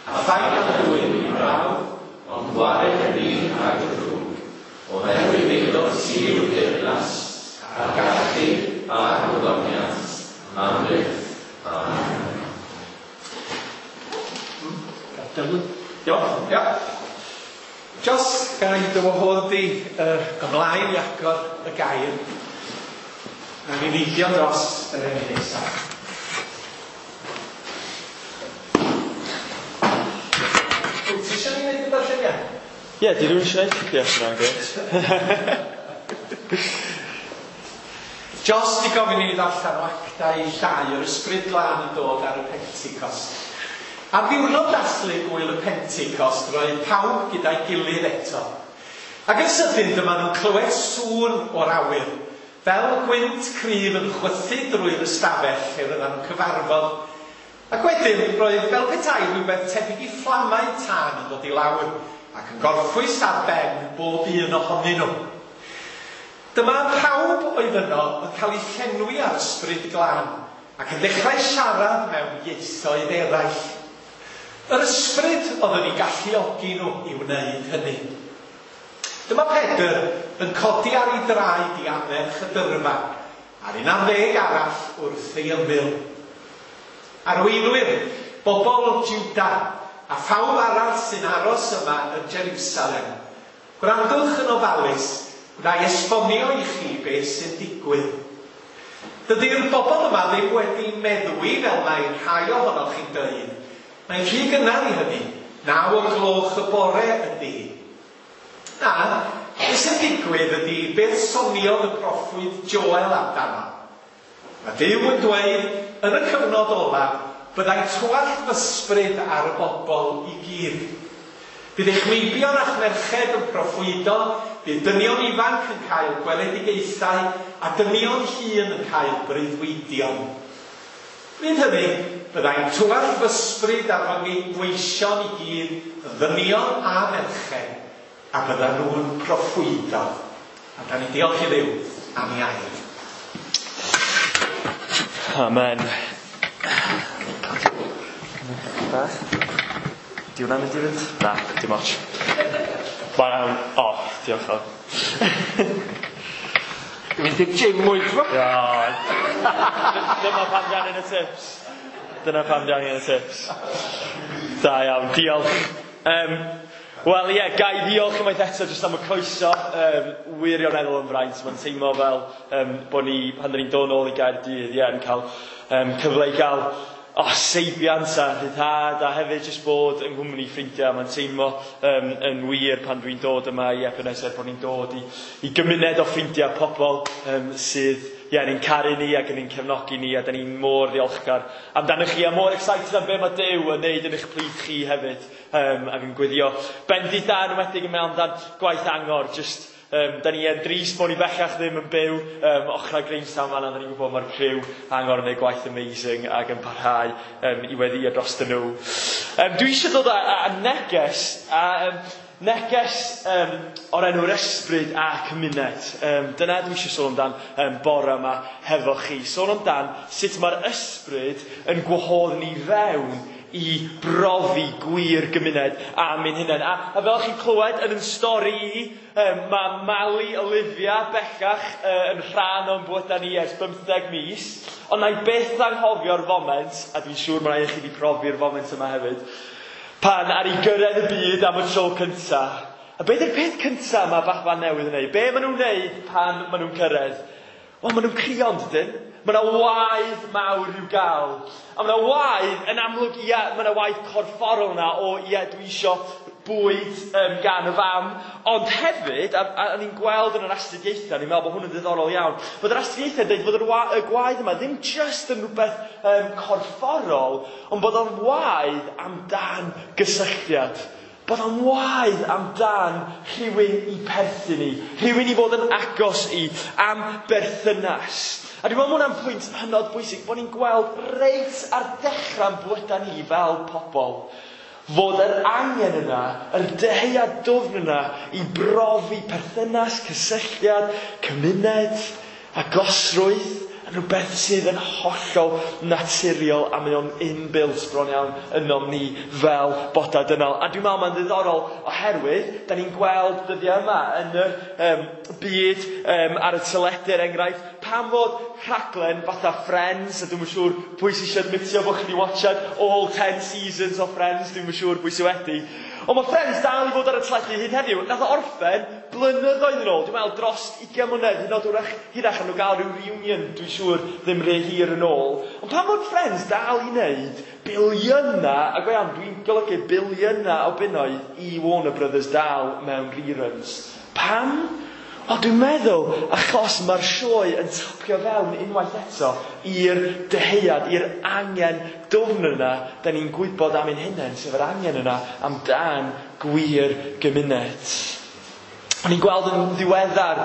A phaid â dwyn i brawf, ond gwared ni rhag y drwg, oherwydd eiddo ti yw'r deyrnas, a'r gallu a'r gogoniant, am byth. Amen. Iawn, ia. Jos, ga i dy wahodd di ymlaen i agor y gair. Na ni neidio dros yr enw nesaf. Wyt ti eisiau ni wneud y darlleniad?
Ie, di rhywun eisiau gwneud? Ie, hwnna'n grêt.
Jos di gofyn i ni ddarllen o Actau 2, yr Ysbryd Glân yn dod ar y Pentecost. Ar ddiwrnod dathlu gŵyl y Pentecost, roedd pawb gyda'i gilydd eto. Ac yn sydyn dyma nhw'n clywed sŵn o'r awyr, fel gwynt cryf yn chwythu drwy'r ystafell lle roedden nhw'n cyfarfod. Ac wedyn roedd fel petai rhywbeth tebyg i fflamau tân yn dod i lawr ac yn gorffwys ar ben bob un ohonyn nhw. Dyma pawb oedd yno yn cael eu llenwi â'r Ysbryd Glân ac yn dechrau siarad mewn ieithoedd eraill. Yr Ysbryd oedd yn eu galluogi nhw i wneud hynny. Dyma Pedr yn codi ar ei draed i annerch y dyrfa, a'r 11 arall wrth ei ymyl. Arweinwyr, bobl Juda, a phawb arall sy'n aros yma yn Jerusalem, gwrandwch yn ofalus, wna i esbonio i chi beth sy'n digwydd. Dydy'r bobl yma ddim wedi meddwi fel mae rhai ohonoch chi'n dweud. Mae'n rhy gynnar i hynny. 9 o'r gloch y bore ydy hi. Na, beth sy'n digwydd ydy beth soniodd y proffwyd Joel amdano. Mae Duw yn dweud yn y cyfnod olaf byddai twallt f'ysbryd ar y bobl i gyd. Bydd eich meibion a'ch merched yn proffwydo, bydd dynion ifanc yn cael gweledigaethau a dynion hŷn yn cael breuddwydion. Bryd hynny, byddai'n twallt f'ysbryd ar fy ngweision i gyd, yn ddynion a merched, a byddan nhw'n proffwydo. A da ni'n diolch i Dduw am ei air.
Amen. Beth? Di hwnna'n mynd i fynd? Na, dim ots. Mae'n... O, diolch o.
Dwi'n mynd i'r gym mwy, ti'n
Ia. Dyma pam di angen y tips. Dyna pam di angen y tips. Da iawn, diolch. Wel ie, ga i ddiolch unwaith eto jyst am y croeso. Wirioneddol yn fraint. Mae'n teimlo fel bod ni, pan dyn ni'n dod nôl i Gaerdydd, ie, yn cael cyfle i gael seibiant a rhyddhad a hefyd jyst bod yng nghwmni ffrindiau. Mae'n teimlo yn wir pan dwi'n dod yma i Ebenezer bod ni'n dod i gymuned o ffrindiau, pobl sydd ie, ni'n caru ni ac yn ni'n cefnogi ni, a da ni'n mor ddiolchgar amdanoch chi a mor excited am be mae Duw yn neud yn eich plith chi hefyd. Ac yn gweddio bendith da yn enwedig yn meddwl amdan gwaith Angor. Just, da ni yn drist bod ni bellach ddim yn byw ochrau Grangetown fan'na. Da ni'n gwybod mae'r criw Angor yn gwneud gwaith amazing ac yn parhau i weddio dros nhw. Dwi eisiau dod â neges, neges o'r enw'r ysbryd a cymuned. Dyna dwi eisiau sôn amdan bore yma hefo chi. Sôn amdan sut mae'r ysbryd yn gwahodd ni fewn i brofi gwir gymuned am ein hunain. A fel chi'n clywed yn yn stori i, mae Mali Olivia bellach yn rhan o'n bywydau ni ers 15 mis, ond na i byth anghofio'r foment, a dwi'n siŵr mae rhai o chi wedi profi'r foment yma hefyd, pan ar ei gyrraedd y byd am y tro cynta. A beth yw'r peth cynta mae baban newydd yn neud? Be maen nhw'n neud pan maen nhw'n cyrraedd? Wel, maen nhw'n crio, dydyn? Mae yna waedd mawr i'w gael. A mae yna waedd, yn amlwg, ia, mae yna waedd corfforol yna o, ia, dwi isio bwyd gan y fam. Ond hefyd, a ni'n gweld yn yr astudiaethau, ni'n meddwl bod hwn yn ddiddorol iawn, bod yr astudiaethau'n dweud bod y gwaedd yma ddim just yn rhywbeth corfforol, ond bod o'n waedd amdan gysylltiad. Bod o'n waedd amdan rhywun i perthyn i, rhywun i fod yn agos i, am berthynas. A dwi'n meddwl ma' hwnna'n pwynt hynod bwysig, bod ni'n gweld reit ar dechrau'n bywydau ni fel pobl, fod yr angen yna, yr dyhead dwfn yna i brofi perthynas, cysylltiad, cymuned, agosrwydd, yn rhywbeth sydd yn hollol naturiol a mae o'n inbuilt bron iawn ynom ni fel bodau dynol. A dwi'n meddwl mae'n ddiddorol oherwydd da ni'n gweld dyddiau yma yn yr byd ar y teledu er enghraifft, pam fod rhaglen fatha Friends, a dwi'm yn siŵr pwy sy'n eisiau admitio bod chi wedi watchad all 10 seasons o Friends, dwi'm yn siŵr pwy sydd wedi. Ond mae Friends dal i fod ar y teledu hyd heddiw. Nath o orffen blynyddoedd yn ôl, dwi'n meddwl dros 20 mlynedd, hyd yn oed wrach hirach a nhw gael rhyw reunion, dwi'n siŵr ddim rhy hir yn ôl. Ond pan fod Friends dal i wneud biliynau, a go iawn, dwi'n golygu biliynau o bunnoedd i Warner Brothers dal mewn reruns. Pam? Wel, dwi'n meddwl achos mae'r sioe yn tapio fewn unwaith eto i'r dyheuad, i'r angen dwfn yna da ni'n gwybod am ein hunain, sef yr angen yna amdan gwir gymuned. O'n i'n gweld yn ddiweddar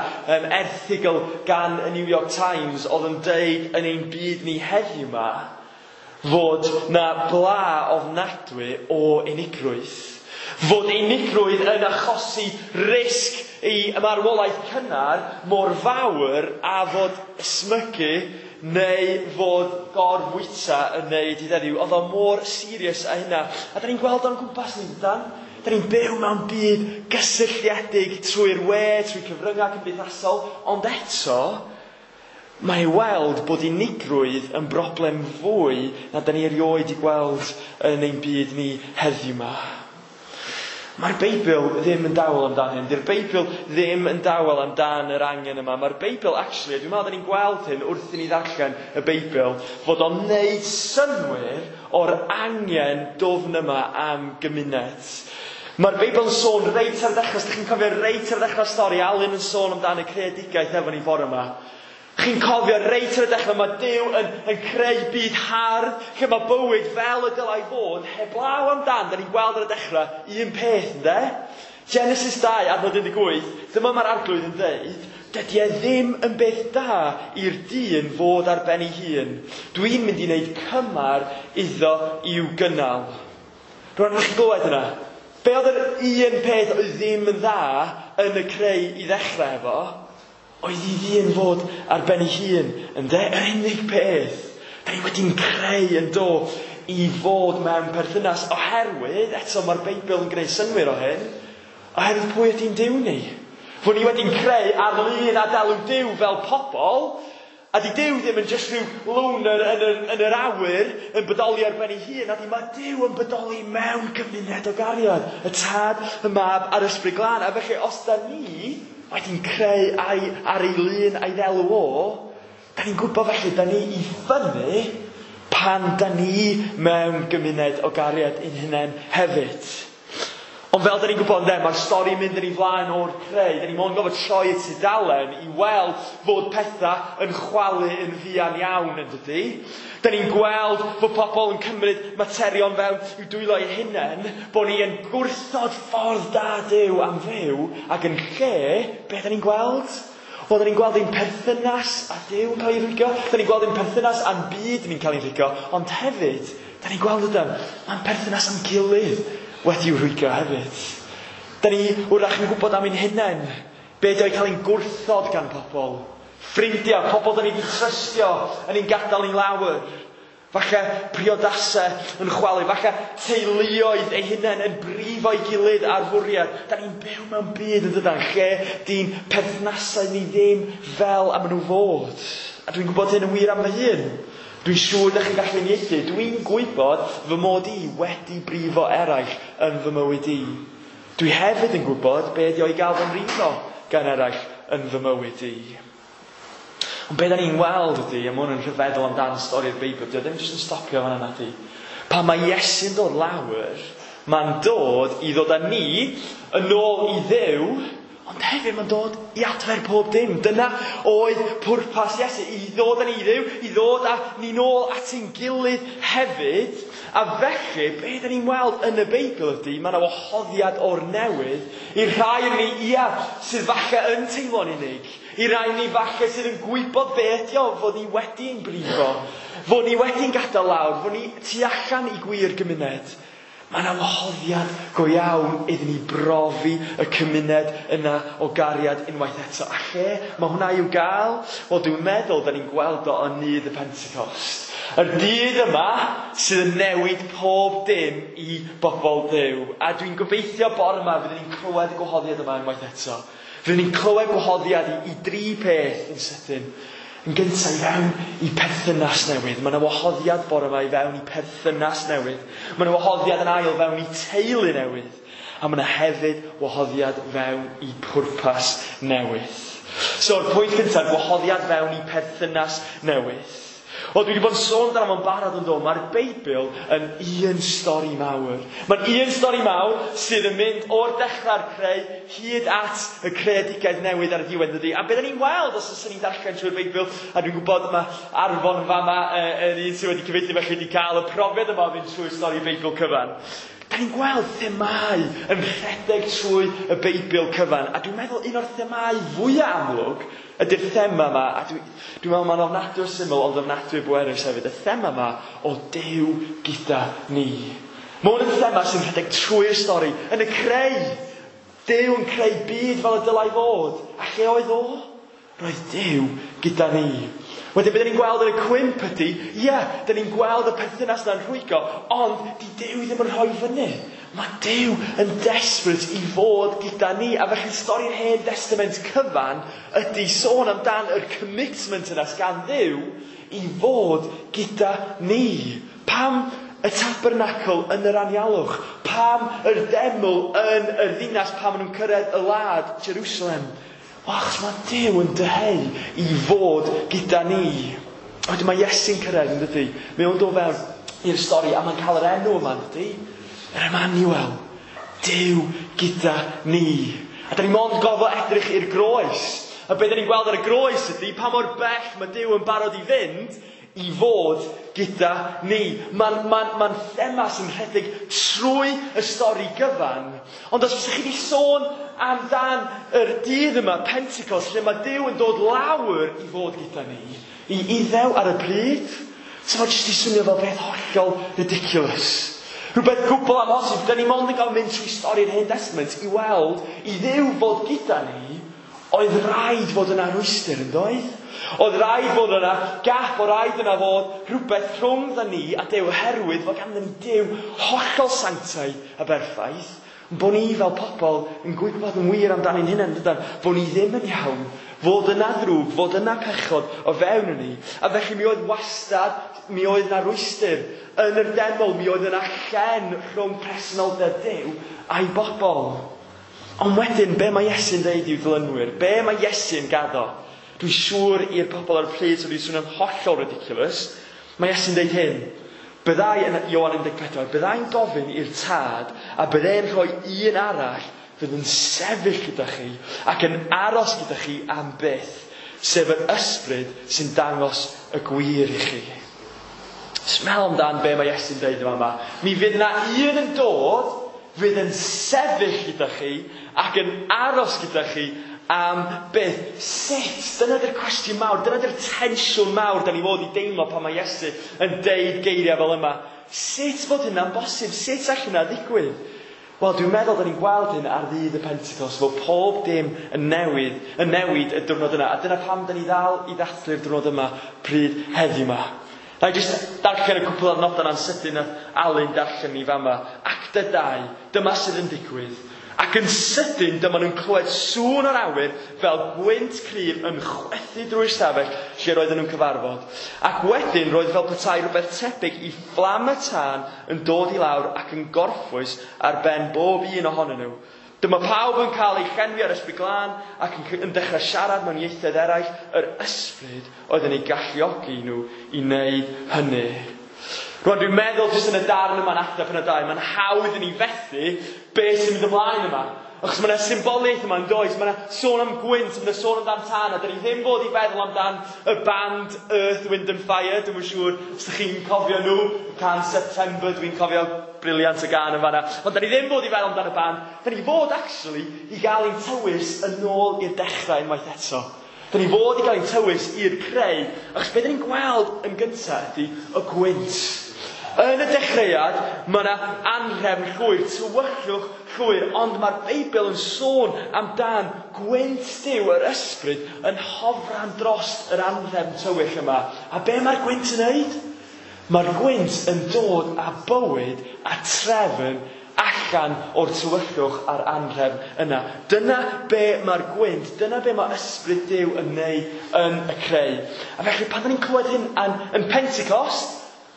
erthygl gan y New York Times oedd yn deud yn ein byd ni heddiw yma fod na bla ofnadwy o unigrwydd. Fod unigrwydd yn achosi risg i marwolaeth cynnar mor fawr a fod ysmygu neu fod gorfwyta yn neud i heddiw. Oedd o mor serious a hynna. A da ni'n gweld o'n gwmpas ni, dydan? Da ni'n byw mewn byd gysylltiedig trwy'r we, trwy cyfryngau cymdeithasol, ond eto, mae i weld bod unigrwydd yn broblem fwy na da ni erioed i gweld yn ein byd ni heddiw yma. Mae'r Beibl ddim yn dawel amdan hyn. Di'r Beibl ddim yn dawel amdan yr angen yma. Mae'r Beibl, actually, dwi'n meddwl da ni'n gweld hyn wrth i ni ddarllen y Beibl, fod o'n neud synnwyr o'r angen dwfn yma am gymuned. Mae'r Beibl yn sôn reit ar ddechrau, os ydych chi'n cofio reit ar ddechrau stori, Alun yn sôn amdan y creadigaeth efo ni bore yma. Chi'n cofio reit ar y dechrau, mae Duw yn creu byd hardd, lle mae bywyd fel y dylai fod, heblaw amdan, da ni'n gweld ar y dechrau, un peth, ynde? Genesis 2, adnod 18, dyma mae'r Arglwydd yn dweud, dydy e ddim yn beth da i'r dyn fod ar ben ei hun. Dwi'n mynd i wneud cymar iddo i'w gynnal. Rwan, chi'n glywed yna? Be oedd yr un peth oedd ddim yn dda yn y creu i ddechrau efo? Oedd i ddyn fod ar ben ei hun, ynde? Yr unig peth. Da ni wedi'n creu yn do i fod mewn perthynas oherwydd, eto mae'r Beibl yn gwneud synnwyr o hyn, oherwydd pwy ydy'n Duw ni? Fod ni wedi'n creu ar lun a delw Duw fel pobl, a di Duw ddim yn jyst rhyw loner yn yr awyr yn bodoli ar ben ei hun, a di mae Duw yn bodoli mewn gymuned o gariad. Y Tad, y Mab a'r Ysbryd Glân. A felly os da ni wedi'n creu ar ei lun a'i ddelw o, da ni'n gwybod felly, da ni i ffynnu pan da ni mewn gymuned o gariad ein hunain hefyd. Ond fel da ni'n gwybod, ynde, mae'r stori mynd yn ei flaen o'r creu. Da ni mond gofod troi y tudalen i weld fod pethau yn chwalu yn fuan iawn, yn dydy. Da ni'n gweld fod pobl yn cymryd materion fewn i'w dwylo eu hunain, bod ni yn gwrthod ffordd da Duw am fyw, ac yn lle, be da ni'n gweld? Wel, da ni'n gweld ein perthynas â Duw yn cael ei rhwygo, da ni'n gweld ein perthynas â'n byd ni'n cael ei rhwygo, ond hefyd, da ni'n gweld ydym, mae'n perthynas â'n gilydd wedi'w rhwygo hefyd. Da ni wrach yn gwybod am ein hunain, be di o'i cael ein gwrthod gan pobl. Ffrindiau, pobl da ni wedi trystio yn ein gadael ni lawr. Falle priodasau yn chwalu, falle teuluoedd eu hunain yn brifo'i gilydd ar fwriad. Da ni'n byw mewn byd yn dydan, lle di'n perthnasau ni ddim fel am nhw fod. A dwi'n gwybod hyn yn wir am fy hun. Dwi'n siŵr da chi'n gallu uniaethu. Dwi'n gwybod fy mod i wedi brifo eraill yn fy mywyd i. Dwi hefyd yn gwybod be ydi o i gael fy mrifo gan eraill yn fy mywyd i. Ond be da ni'n weld ydy, a mae hwn yn rhyfeddol amdan stori'r Beibl, dydy o ddim jyst yn stopio fan yna, di. Pan mae Iesu'n dod lawr, mae'n dod i ddod â ni yn ôl i Dduw, ond hefyd mae'n dod i adfer pob dim. Dyna oedd pwrpas Iesu, i ddod â ni i Dduw, i ddod â ni nôl at ein gilydd hefyd. A felly, be da ni'n weld yn y Beibl ydy, mae yna wahoddiad o'r newydd i'r rhai yn ni, ia, sydd falle yn teimlo'n unig, i rai ni falle sydd yn gwybod be ydi o, fod ni wedi'n brifo, fod ni wedi'n gadael lawr, fod ni tu allan i gwir gymuned. Mae yna wahoddiad go iawn iddyn ni brofi y cymuned yna o gariad unwaith eto. A lle mae hwnna i'w gael? Wel, dwi'n meddwl da ni'n gweld o yn nydd y Pentecost. Yr dydd yma sydd yn newid pob dim i bobl Dduw. A dwi'n gobeithio bore yma fyddwn ni'n clywed y gwahoddiad yma unwaith eto. Fyddwn ni'n clywed gwahoddiad i dri peth yn sydyn. Yn gyntaf i fewn i perthynas newydd. Mae yna wahoddiad bore yma i fewn i perthynas newydd. Mae yna wahoddiad yn ail fewn i teulu newydd. A mae yna hefyd wahoddiad fewn i pwrpas newydd. So'r pwynt cyntaf, gwahoddiad fewn i perthynas newydd. Wel, dwi wedi bod yn sôn amdano fo'n barod yn do, mae'r Beibl yn un stori mawr. Mae'n un stori mawr sydd yn mynd o'r dechrau'r creu hyd at y creadigaeth newydd ar y diwedd, dydy. A beth ni'n weld os ydyn ni'n darllen trwy'r Beibl, a dwi'n gwybod mae Arfon yn fama yn un sydd wedi cyfieithu felly wedi cael y profiad yma o fynd trwy'r stori Beibl cyfan. Da ni'n gweld themâu yn rhedeg trwy y Beibl cyfan, a dwi'n meddwl un o'r themâu fwyaf amlwg ydy'r thema yma, a dwi'n meddwl mae'n ofnadwy o syml, ond ofnadwy o bwerus hefyd, y thema yma o Duw gyda ni. Mae hwn yn thema sy'n rhedeg trwy'r stori, yn y creu. Duw yn creu byd fel y dylai fod. A lle oedd o? Roedd Duw gyda ni. Wedyn, beth ni'n gweld yn y cwymp ydy, ie, da ni'n gweld y perthynas yna'n rhwygo, ond di Duw ddim yn rhoi fyny. Mae Duw yn desperate i fod gyda ni, a felly stori'r Hen Testament cyfan ydy sôn amdan yr commitment yna gan Dduw i fod gyda ni. Pam y tabernacl yn yr anialwch? Pam yr deml yn yr ddinas pan maen nhw'n cyrraedd y wlad, Jerusalem? Wel, achos mae Duw yn dyheu i fod gyda ni. Wedyn mae Iesu'n cyrraedd, yn dydy? Mae o'n dod fewn i'r stori, a mae'n cael yr enw yma, yn dydy? Yr Emmanuel. Duw gyda ni. A da ni mond gorfod edrych i'r groes. A beth da ni'n gweld ar y groes ydy pa mor bell mae Duw yn barod i fynd i fod gyda ni. Mae'n thema sy'n rhedeg trwy y stori gyfan. Ond os fysa chi wedi sôn amdan yr dydd yma, Pentecost, lle mae Duw yn dod lawr i fod gyda ni, i Iddew ar y pryd, so mae jyst i swnio fel beth hollol ridiculous. Rhywbeth gwbl amhosib. Da ni mond yn cael mynd trwy stori'r Hen Testament i weld i Dduw fod gyda ni, oedd rhaid fod yna rwystr, yn doedd? Oedd rhaid fod yna gap, oedd rhaid yna fod rhywbeth rhwng ni a Duw, oherwydd fod ganddyn ni Duw hollol sanctaidd a berffaith, bod ni fel pobl yn gwybod yn wir amdano'n hunain, dydan? Bod ni ddim yn iawn, fod yna ddrwg, fod yna pechod o fewn yn ni. A felly mi oedd wastad, mi oedd yna rwystr yn yr deml, mi oedd yna llen rhwng presenoldeb Duw a'i bobl. Ond wedyn, be mae Iesu'n dweud i'w ddilynwyr? Be mae Iesu'n gaddo? Dwi'n siŵr i'r pobl ar y pryd sydd wedi swnio'n hollol ridiculous. Mae Iesu'n dweud hyn. Byddai yn Ioan 14, byddai'n gofyn i'r tad a byddai'n rhoi un arall fydd yn sefyll gyda chi ac yn aros gyda chi am byth, sef yr ysbryd sy'n dangos y gwir i chi. Smel amdan be mae Iesu'n dweud yma. Mi fydd yna un yn dod fydd yn sefyll gyda chi ac yn aros gyda chi am byth. Sut? Dyna di'r cwestiwn mawr, dyna di'r tensiwn mawr da ni fod i deimlo pan mae Iesu yn deud geiriau fel yma. Sut fod hynna'n bosib? Sut all hynna ddigwydd? Wel, dwi'n meddwl da ni'n gweld hyn ar ddydd y Pentecost, fod pob dim yn newid y diwrnod yna. A dyna pam da ni ddal i ddathlu'r diwrnod yma pryd heddiw yma. Na i jyst darllen y cwpl o'r nodau na'n sydyn nath Alun darllen ni fama. Acta 2, dyma sydd yn digwydd. Ac yn sydyn, dyma nhw'n clywed sŵn o'r awyr fel gwynt cryf yn chwythu drwy'r stafell lle roedden nhw'n cyfarfod. Ac wedyn roedd fel petai rhywbeth tebyg i fflam y tân yn dod i lawr ac yn gorffwys ar ben bob un ohonyn nhw. Dyma pawb yn cael eu llenwi ar Ysbryd Glân ac yn dechrau siarad mewn ieithoedd eraill. Yr ysbryd oedd yn eu galluogi nhw i wneud hynny. Rwan, dwi'n meddwl jyst yn y darn yma'n Acta pennod 2, mae'n hawdd i ni fethu beth sy'n mynd ymlaen yma. Achos mae yna symboliaeth yma yn does, mae yna sôn am gwynt, mae yna sôn amdan tân, a dyn ni ddim fod i feddwl amdan y band Earth, Wind and Fire, dwi'm yn siŵr os ydych chi'n cofio nhw, can September, dwi'n cofio briliant y gân yn fanna. Ond dyn ni ddim fod i feddwl amdan y band, dyn ni fod actually i gael ein tywys yn ôl i'r dechrau unwaith eto. Dyn ni fod i gael ein tywys i'r creu, achos beth dyn ni'n gweld yn gyntaf ydy y gwynt. Yn y dechreuad, mae yna anrhefn llwyr, tywyllwch llwyr, ond mae'r Beibl yn sôn amdan gwynt Duw, yr ysbryd, yn hofran dros yr anrhefn tywyll yma. A be mae'r gwynt yn neud? Mae'r gwynt yn dod â bywyd a trefn allan o'r tywyllwch a'r anrhefn yna. Dyna be mae'r gwynt, dyna be mae ysbryd Duw yn neud yn y creu. A felly pan ni'n clywed hyn yn Pentecost,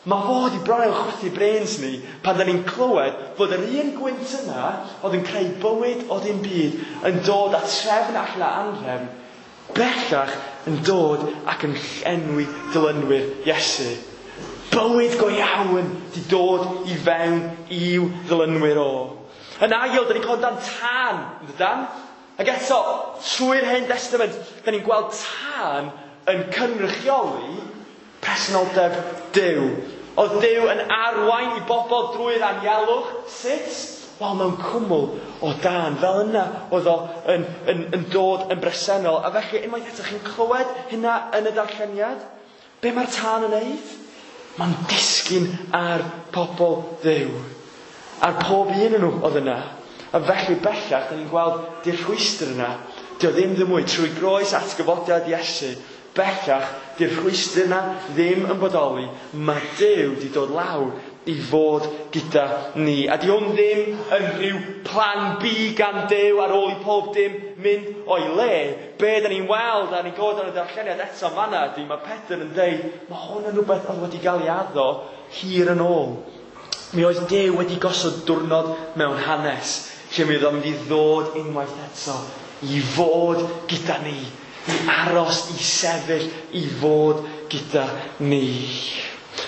Mae fod i bron i'w chwythu brains ni pan da ni'n clywed fod yr un gwynt yna oedd yn creu bywyd o ddim byd yn dod â trefn allan o anrefn bellach yn dod ac yn llenwi dilynwyr Iesu. Bywyd go iawn di dod i fewn i'w ddilynwyr o. Yn ail, da ni'n clywed amdan tân, yn dydan? Ac eto, trwy'r Hen Testament, da ni'n gweld tân yn cynrychioli presenoldeb Duw. Oedd Duw yn arwain i bobl drwy'r anialwch. Sut? Wel, mewn cwmwl o dân. Fel yna oedd o yn dod yn bresennol. A felly, unwaith eto, chi'n clywed hynna yn y darlleniad? Be mae'r tân yn neud? Mae'n disgyn ar pobl Dduw. Ar pob un yn nhw oedd yna. A felly bellach, da ni'n gweld di'r rhwystr yna. Dio ddim ddim mwy trwy groes atgyfodiad Iesu. Bellach, di'r rhwystr yna ddim yn bodoli. Mae Duw di dod lawr i fod gyda ni. A di hwn ddim yn rhyw plan B gan Duw ar ôl i pob dim mynd o'i le. Be da ni'n weld a ni'n gweld yn y darlleniad eto fanna ydy, mae Pedr yn deud, mae hwn yn rhywbeth oedd wedi gael ei addo hir yn ôl. Mi oedd Duw wedi gosod diwrnod mewn hanes, lle mi oedd o'n mynd i ddod unwaith eto i fod gyda ni, i aros, i sefyll, i fod gyda ni.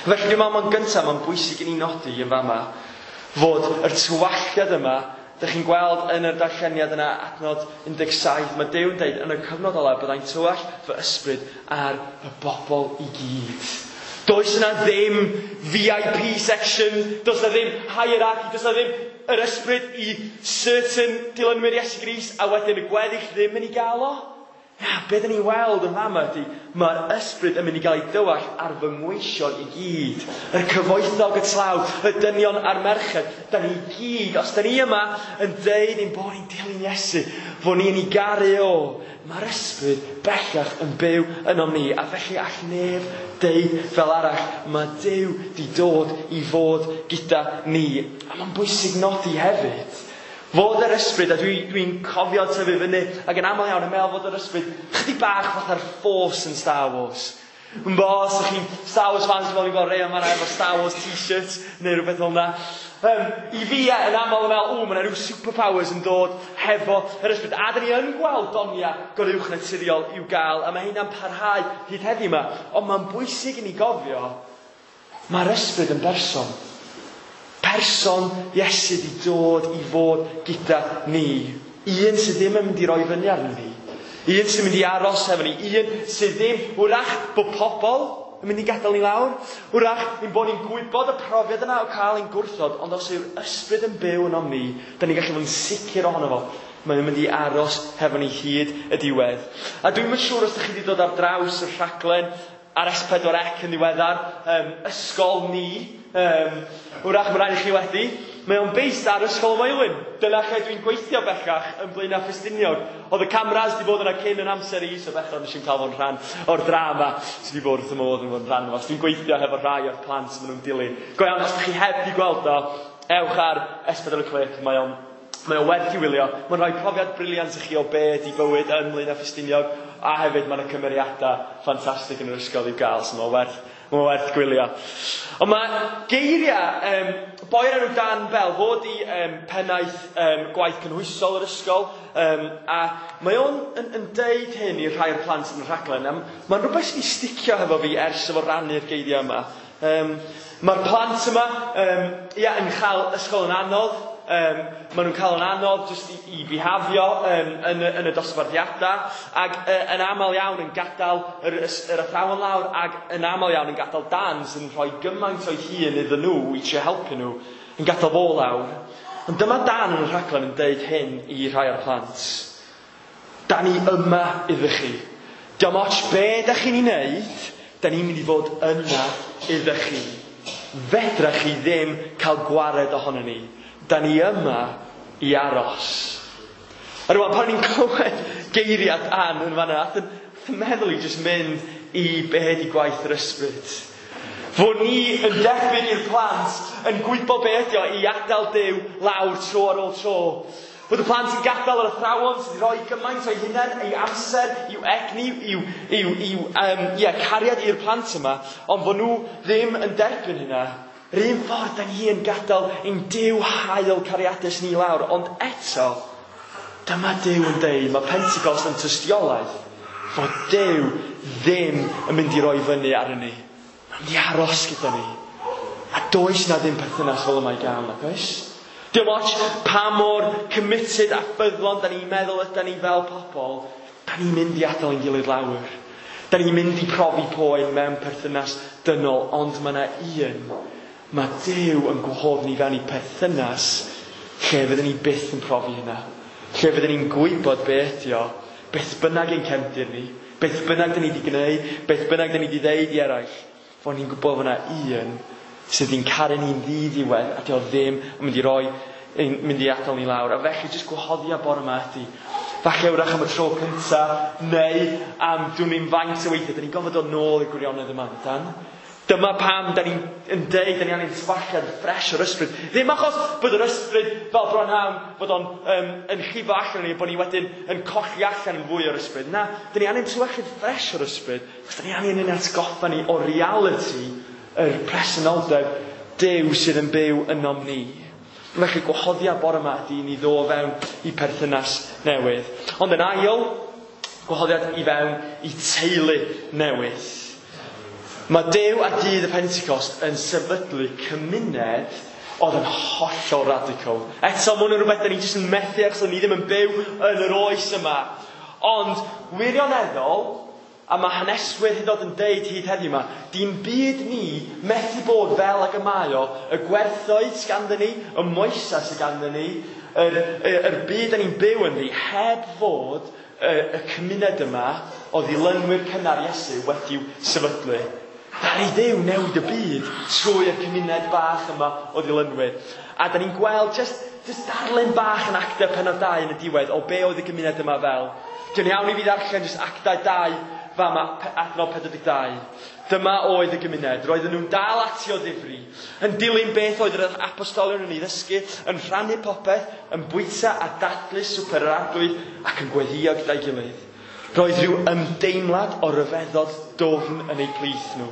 Felly dwi'n meddwl mae'n gyntaf, mae'n bwysig i ni nodi yn fama, fod yr tywalltiad yma, dych chi'n gweld yn yr darlleniad yna, adnod 17, mae Duw yn deud yn y cyfnod ola byddai'n tywall fy ysbryd ar y bobl i gyd. Does yna ddim VIP section, does yna ddim hierarchy, does yna ddim yr ysbryd i certain dilynwyr Iesu Grist, a wedyn y gweddill ddim yn ei gael o. Na, be dyn ni'n weld yn fama ydy, mae'r ysbryd yn mynd i gael ei dywall ar fy ngweision i gyd. Yr cyfoethog, y tlawd, y dynion a'r merched. Da ni gyd, os da ni yma yn deud ein bod ni'n dilyn Iesu, fod ni'n ei garu o, mae'r ysbryd bellach yn byw ynom ni. A felly all neb deud fel arall, mae Duw di dod i fod gyda ni. A mae'n bwysig nodi hefyd, fod yr ysbryd, a dwi'n cofio tyfu fyny, ac yn aml iawn yn meddwl fod yr ysbryd chydig bach fatha'r Force yn Star Wars. Yn bo, os ydych chi'n Star Wars fans, dwi'n meddwl ni'n gweld rei o'n fan'na efo Star Wars t-shirt neu rhywbeth fel yna. I fi yn aml yn meddwl, mae yna rhyw superpowers yn dod hefo yr ysbryd. A dyn ni yn gweld donia goruwchnaturiol i'w gael, a mae hynna'n parhau hyd heddiw yma. Ond mae'n bwysig i ni gofio, mae'r ysbryd yn berson. Person Iesu di dod i fod gyda ni. Un sydd ddim yn mynd i roi fyny arno ni. Un sy'n mynd i aros efo ni. Un sydd ddim, wrach bod pobl yn mynd i gadael ni lawr. Wrach ein bod ni'n gwybod y profiad yna o cael ein gwrthod, ond os yw'r ysbryd yn byw ynom ni, da ni'n gallu fod yn sicr ohono fo. Mae'n mynd i aros hefo ni hyd y diwedd. A dwi'm yn siŵr os ydych chi wedi dod ar draws y rhaglen ar S4C yn ddiweddar, Ysgol Ni, wrach mae rhaid i chi wedi. Mae o'n based ar Ysgol Moelwyn. Dyna lle dwi'n gweithio bellach yn Blaenau Ffestiniog. Oedd y cameras di bod yna cyn yn amser i, so bellach nes i'n cael fod yn rhan o'r drama sydd wedi bod wrth y modd yn fod yn rhan o'r. Dwi'n gweithio hefo rhai o'r plant maen nhw'n dilyn. Go iawn, os ydych chi heb di gweld o, ewch ar S4C Clip, mae o'n werth i wylio. Mae'n rhoi profiad briliant i chi o be ydi bywyd yn Blaenau Ffestiniog, a hefyd mae'n y cymeriadau ffantastig yn yr ysgol i'w gael, so mae'n werth gwylio. Ond mae geiriau, boi o'r enw Dan Bell, fod i pennaeth gwaith cynhwysol yr ysgol, a mae o'n yn deud hyn i rhai o'r plant yn y rhaglen, a mae'n rhywbeth sydd wedi sticio hefo fi ers efo rannu'r geiriau yma. Mae'r plant yma yn cael ysgol yn anodd. Maen nhw'n cael yn anodd jyst i bihafio yn y dosbarthiadau, ac yn aml iawn yn gadael yr athrawon lawr, ac yn aml iawn yn gadael Dan sy'n rhoi gymaint o'i hun iddyn nhw i trio helpu nhw, yn gadael fo lawr. Ond dyma Dan yn y rhaglen yn deud hyn i rhai o'r plant. Da ni yma iddo chi. Diolch ots be da chi'n ei wneud, da ni'n mynd i fod yna iddo chi. Fedra chi ddim cael gwared ohono ni. Da ni yma i aros. A rwan, pan ni'n clywed geiriau Dan yn fan'na, nath yn meddwl i jyst mynd i be ydi gwaith yr ysbryd. Fod ni yn debyg i'r plant, yn gwybod be ydi o i adael Duw lawr tro ar ôl tro. Bod y plant yn gadael yr athrawon sydd wedi rhoi gymaint o'i hunain, ei amser, i'w egni, i'w cariad i'r plant yma, ond fod nhw ddim yn derbyn hynna. Yr un ffordd da ni yn gadael ein Duw hael cariadus ni lawr, ond eto, dyma Duw yn deud, mae Pentecost yn tystiolaeth fod Duw ddim yn mynd i roi fyny arno ni. Mae'n mynd i aros gyda ni. A does na ddim perthynas fel yma i gael, nag oes? Dim ots pa mor committed a ffyddlon da ni'n meddwl yda ni fel pobl, da ni'n mynd i adael ein gilydd lawr. Da ni'n mynd i profi poen mewn perthynas dynol, ond mae yna un. Mae Duw yn gwahodd ni fewn i perthynas lle fyddwn ni byth yn profi hynna. Lle fyddwn ni'n gwybod be ydi o, beth bynnag ein cefndir ni, beth bynnag da ni wedi gwneud, beth bynnag da ni wedi ddeud i eraill, fod ni'n gwybod fod yna un sydd yn caru ni'n ddiddiwedd a dio ddim yn mynd i roi, yn mynd i adael ni lawr. A felly jyst gwahoddiad bore yma ydy, falle wrach am y tro cynta, neu am dwi'n ni'n faint o weithiau, da ni'n gofod dod nôl i'r gwirionedd yma, dan. Dyma pam da ni'n yn deud, da ni angen tywalliad ffres o'r ysbryd. Ddim achos bod yr ysbryd fel bronhawn, bod o'n yn llifo allan ni, bod ni wedyn yn colli allan yn fwy o'r ysbryd. Na, da ni angen tywalliad ffres o'r ysbryd, achos da ni angen yn atgoffa ni o reality yr presenoldeb Duw sydd yn byw ynom ni. Felly gwahoddiad bore yma ydy ni ddod fewn i perthynas newydd. Ond yn ail, gwahoddiad i fewn i teulu newydd. Mae Duw ar dydd y Pentecost yn sefydlu cymuned oedd yn hollol radical. Eto, mae hwn yn rhywbeth da ni jyst yn methu achos ni ddim yn byw yn yr oes yma. Ond wirioneddol, a mae haneswyr hyd yn oed yn deud hyd heddiw yma, di'n byd ni methu bod fel ag y mae o, y gwerthoedd sydd ganddyn ni, y moesau sydd ganddyn ni, yr byd da ni'n byw ynddi, heb fod y cymuned yma o ddilynwyr cynnar Iesu wedi'w sefydlu. Ddaru Dduw newid y byd trwy y cymuned bach yma o ddilynwyr. A da ni'n gweld just darlun bach yn Actau pennod 2 yn y diwedd o be oedd y gymuned yma fel. Dwi'n iawn i fi ddarllen just Actau 2 fama, adnod 42. Dyma oedd y gymuned. Roedden nhw'n dal ati o ddifri, yn dilyn beth oedd yr apostolion yn ei ddysgu, yn rhannu popeth, yn bwyta a dathlu swper yr Arglwydd ac yn gweddïo gyda'i gilydd. Roedd rhyw ymdeimlad o ryfeddod dwfn yn eu plith nhw.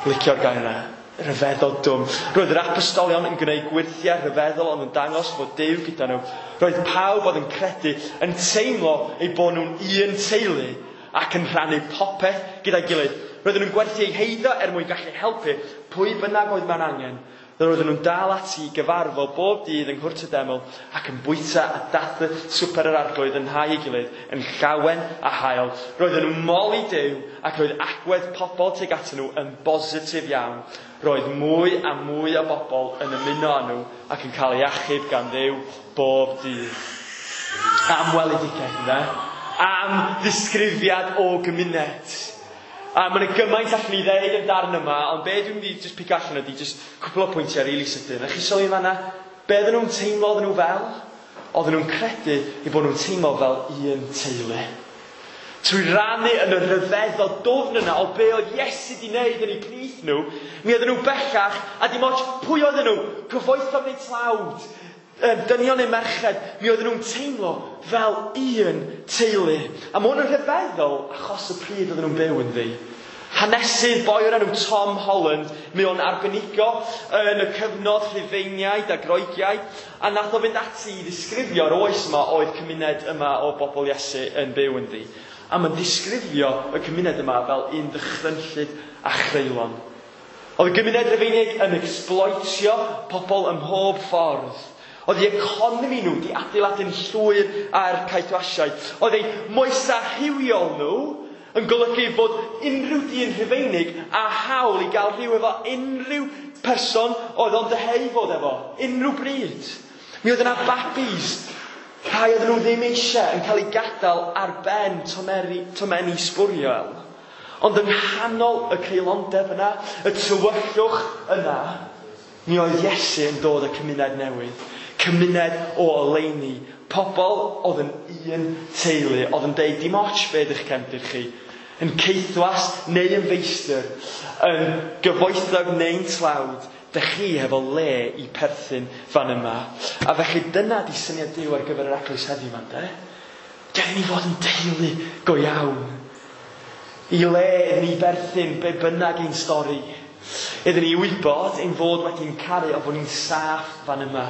Licio'r gair yna, rhyfeddod dwfn. Roedd yr apostolion yn gwneud gwyrthiau rhyfeddol ond yn dangos fod Duw gyda nhw. Roedd pawb oedd yn credu yn teimlo eu bod nhw'n un teulu ac yn rhannu popeth gyda'i gilydd. Roedden nhw'n gwerthu eu heiddo er mwyn gallu helpu pwy bynnag oedd mewn angen. Roedden nhw'n dal ati i gyfarfod bob dydd yng Nghwrt y Deml ac yn bwyta a dathlu swper yr Arglwydd yn nhai ei gilydd, yn llawen a hael. Roedden nhw'n moli Duw ac roedd agwedd pobl tuag atyn nhw yn bositif iawn. Roedd mwy a mwy o bobl yn ymuno â nhw ac yn cael eu achub gan Dduw bob dydd. Am weledigaeth, ynde? Am ddisgrifiad o gymuned. A mae yna gymaint allan ni ddeud yn darn yma, ond be dwi'n mynd i just pigo allan ydy just cwpl o pwyntiau rili sydyn. A chi sylwi fan'na, be oedden nhw'n teimlo oedden nhw fel? Oedden nhw'n credu eu bod nhw'n teimlo fel un teulu. Trwy rannu yn y rhyfeddod dwfn yna o be oedd Iesu di wneud yn eu plith nhw, mi oedden nhw bellach, a dim ots pwy oedden nhw, cyfoethog neu tlawd, dynion neu merched, mi oedden nhw'n teimlo fel un teulu. A mae hwn yn rhyfeddol achos y pryd oedden nhw'n byw ynddi. Hanesydd boi o'r enw Tom Holland, mi o'n arbenigo yn y cyfnod Rhufeiniaid a Groegiaid, a nath o fynd ati i ddisgrifio'r oes yma oedd cymuned yma o bobl Iesu yn byw ynddi. A mae'n disgrifio y cymuned yma fel un ddychrynllyd a chreulon. Oedd y gymuned Rufeinig yn exploitio pobl ym mhob ffordd. Oedd eu economi nhw wedi adeiladu'n llwyr ar caethwasiaid. Oedd eu moesau rhywiol nhw yn golygu fod unrhyw dyn Rhufeinig a hawl i gael rhyw efo unrhyw person oedd o'n dyheu fod efo, unrhyw bryd. Mi oedd yna babis, rhai oedden nhw ddim eisiau, yn cael eu gadael ar ben tomenni sbwriel. Ond yng nghanol y creulondeb yna, y tywyllwch yna, mi oedd Iesu yn dod â cymuned newydd. Cymuned o oleuni, pobl oedd yn un teulu, oedd yn deud dim ots be ydych cefndir chi, yn caethwas neu yn feistr, yn gyfoethog neu'n tlawd, Dych chi hefo le i perthyn fan yma. A felly dyna di syniad Duw ar gyfer yr eglwys heddiw yma, de? Gad i ni fod yn deulu go iawn. I le iddyn ni berthyn be bynnag ein stori. Iddyn ni wybod ein fod wedi'n caru a fod ni'n saff fan yma.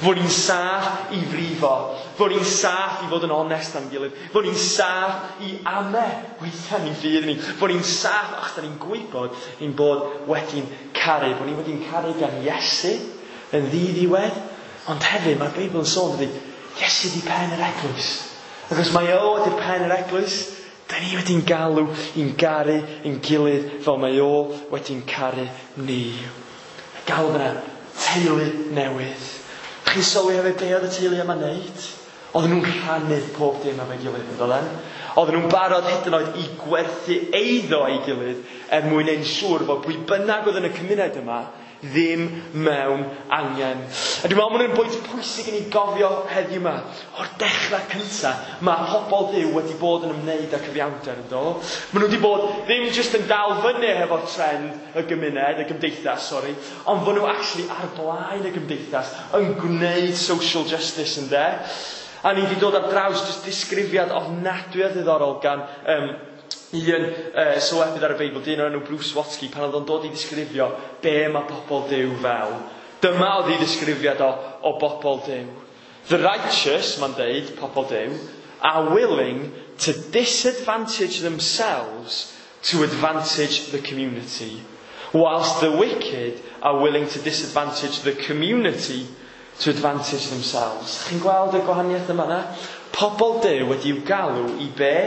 Fod ni'n saff i frifo. Fod ni'n saff i fod yn onest am gilydd. Fod ni'n saff i ame weithiau ni'n ffydd ni. Fod ni'n saff achos da ni'n gwybod ein bod wedi'n caru. Bod ni wedi'n caru gan Iesu yn ddiddiwedd. Ond hefyd mae'r Beibl yn sôn dydy, Iesu di pen yr eglwys. Ac os mae o ydy'r pen yr eglwys, da ni wedi'n galw i'n garu ein gilydd fel mae o wedi'n caru ni. Galw fyna teulu newydd. Chi'n sylwi hefyd be oedd y teulu yma'n neud? Oedden nhw'n rhannu pob dim efo'i gilydd, yn doedden? Oedden nhw'n barod hyd yn oed i gwerthu eiddo ei gilydd er mwyn ein siŵr fod pwy bynnag oedd yn y cymuned yma ddim mewn angen. A dwi'n meddwl bod hwn bwynt pwysig i ni gofio heddiw yma. O'r dechrau cyntaf, mae pobl Dduw wedi bod yn ymwneud â cyfiawnder, yn do? Maen nhw wedi bod ddim jyst yn dal fyny hefo'r trend y gymuned, y gymdeithas, sori, ond fod nhw actually ar blaen y gymdeithas yn gwneud social justice, ynde? A ni wedi dod ar draws jyst disgrifiad ofnadwy o ddiddorol gan un sylwebydd ar y Beibl, dyn o'r enw Bruce Waltke, pan oedd o'n dod i ddisgrifio be mae pobl Duw fel. Dyma oedd ei ddisgrifiad o bobl Duw. The righteous, mae'n deud, pobl Duw, are willing to disadvantage themselves to advantage the community, whilst the wicked are willing to disadvantage the community to advantage themselves. Chi'n gweld y gwahaniaeth yma na? Pobl Duw wedi'w galw i be?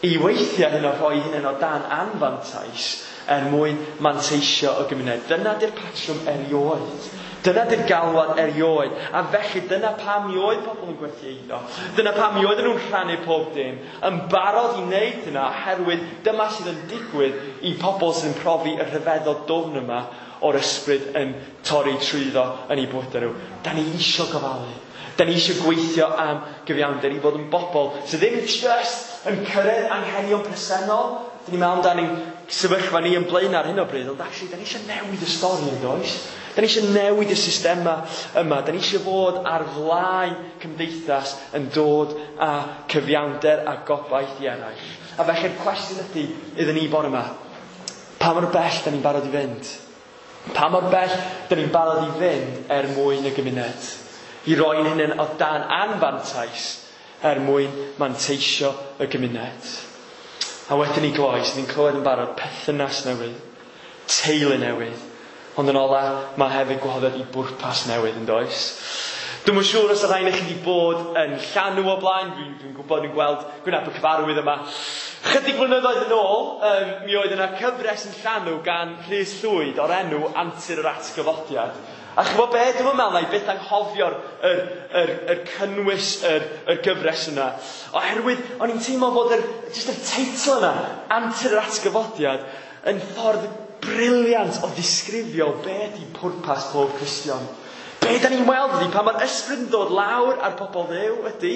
I weithiau hyn o rhoi hynny o dan anfantais er mwyn manteisio y gymuned. Dyna di'r patrwm erioed. Dyna di'r galwad erioed. A felly dyna pam mi oedd pobl yn gwerthu eiddo. Dyna pam mi oedden nhw'n rhannu pob dim. Yn barod i wneud hynna oherwydd dyma sydd yn digwydd i pobl sydd yn profi y rhyfeddod dwfn yma o'r ysbryd yn torri trwyddo yn eu bywydau nhw. Da ni isio gofalu. Da ni eisiau gweithio am gyfiawnder i fod yn bobl sydd ddim just yn cyrraedd anghenion presennol. Da ni'n meddwl amdan ein sefyllfa ni yn blaen ar hyn o bryd, ond actually, da ni eisiau newid y stori yn does? Da ni eisiau newid y systema yma. Da ni eisiau fod ar flaen cymdeithas yn dod â cyfiawnder a gobaith i eraill. A felly'r cwestiwn ydy iddyn ni bore yma, pa mor bell da ni'n barod i fynd? Pa mor bell da ni'n barod i fynd er mwyn y gymuned? I roi'n hunain o dan anfantais er mwyn manteisio y gymuned. A wedyn i gloi, sydd ni'n clywed yn barod, perthynas newydd, teulu newydd. Ond yn ola, mae hefyd gwahoddiad i bwrpas newydd, yn does? Dwi'm yn siŵr os y rhain chi wedi bod yn llanw o blaen. Dwi'n gwybod, dwi'n gweld gwyneb y cyfarwydd yma. Chydig blynyddoedd yn ôl, mi oedd yna cyfres yn llanw gan Rhys Llwyd o'r enw Antur yr Atgyfodiad. A chi'n gwybod be? Dwi'm yn meddwl na i byth anghofio'r yr cynnwys yr gyfres yna. Oherwydd, o'n i'n teimlo fod jyst yr teitl yna, Antur yr Atgyfodiad, yn ffordd briliant o ddisgrifio be ydi pwrpas pob Cristion. Be da ni'n weld ydi, pan mae'r ysbryd yn dod lawr ar pobl Dduw ydi,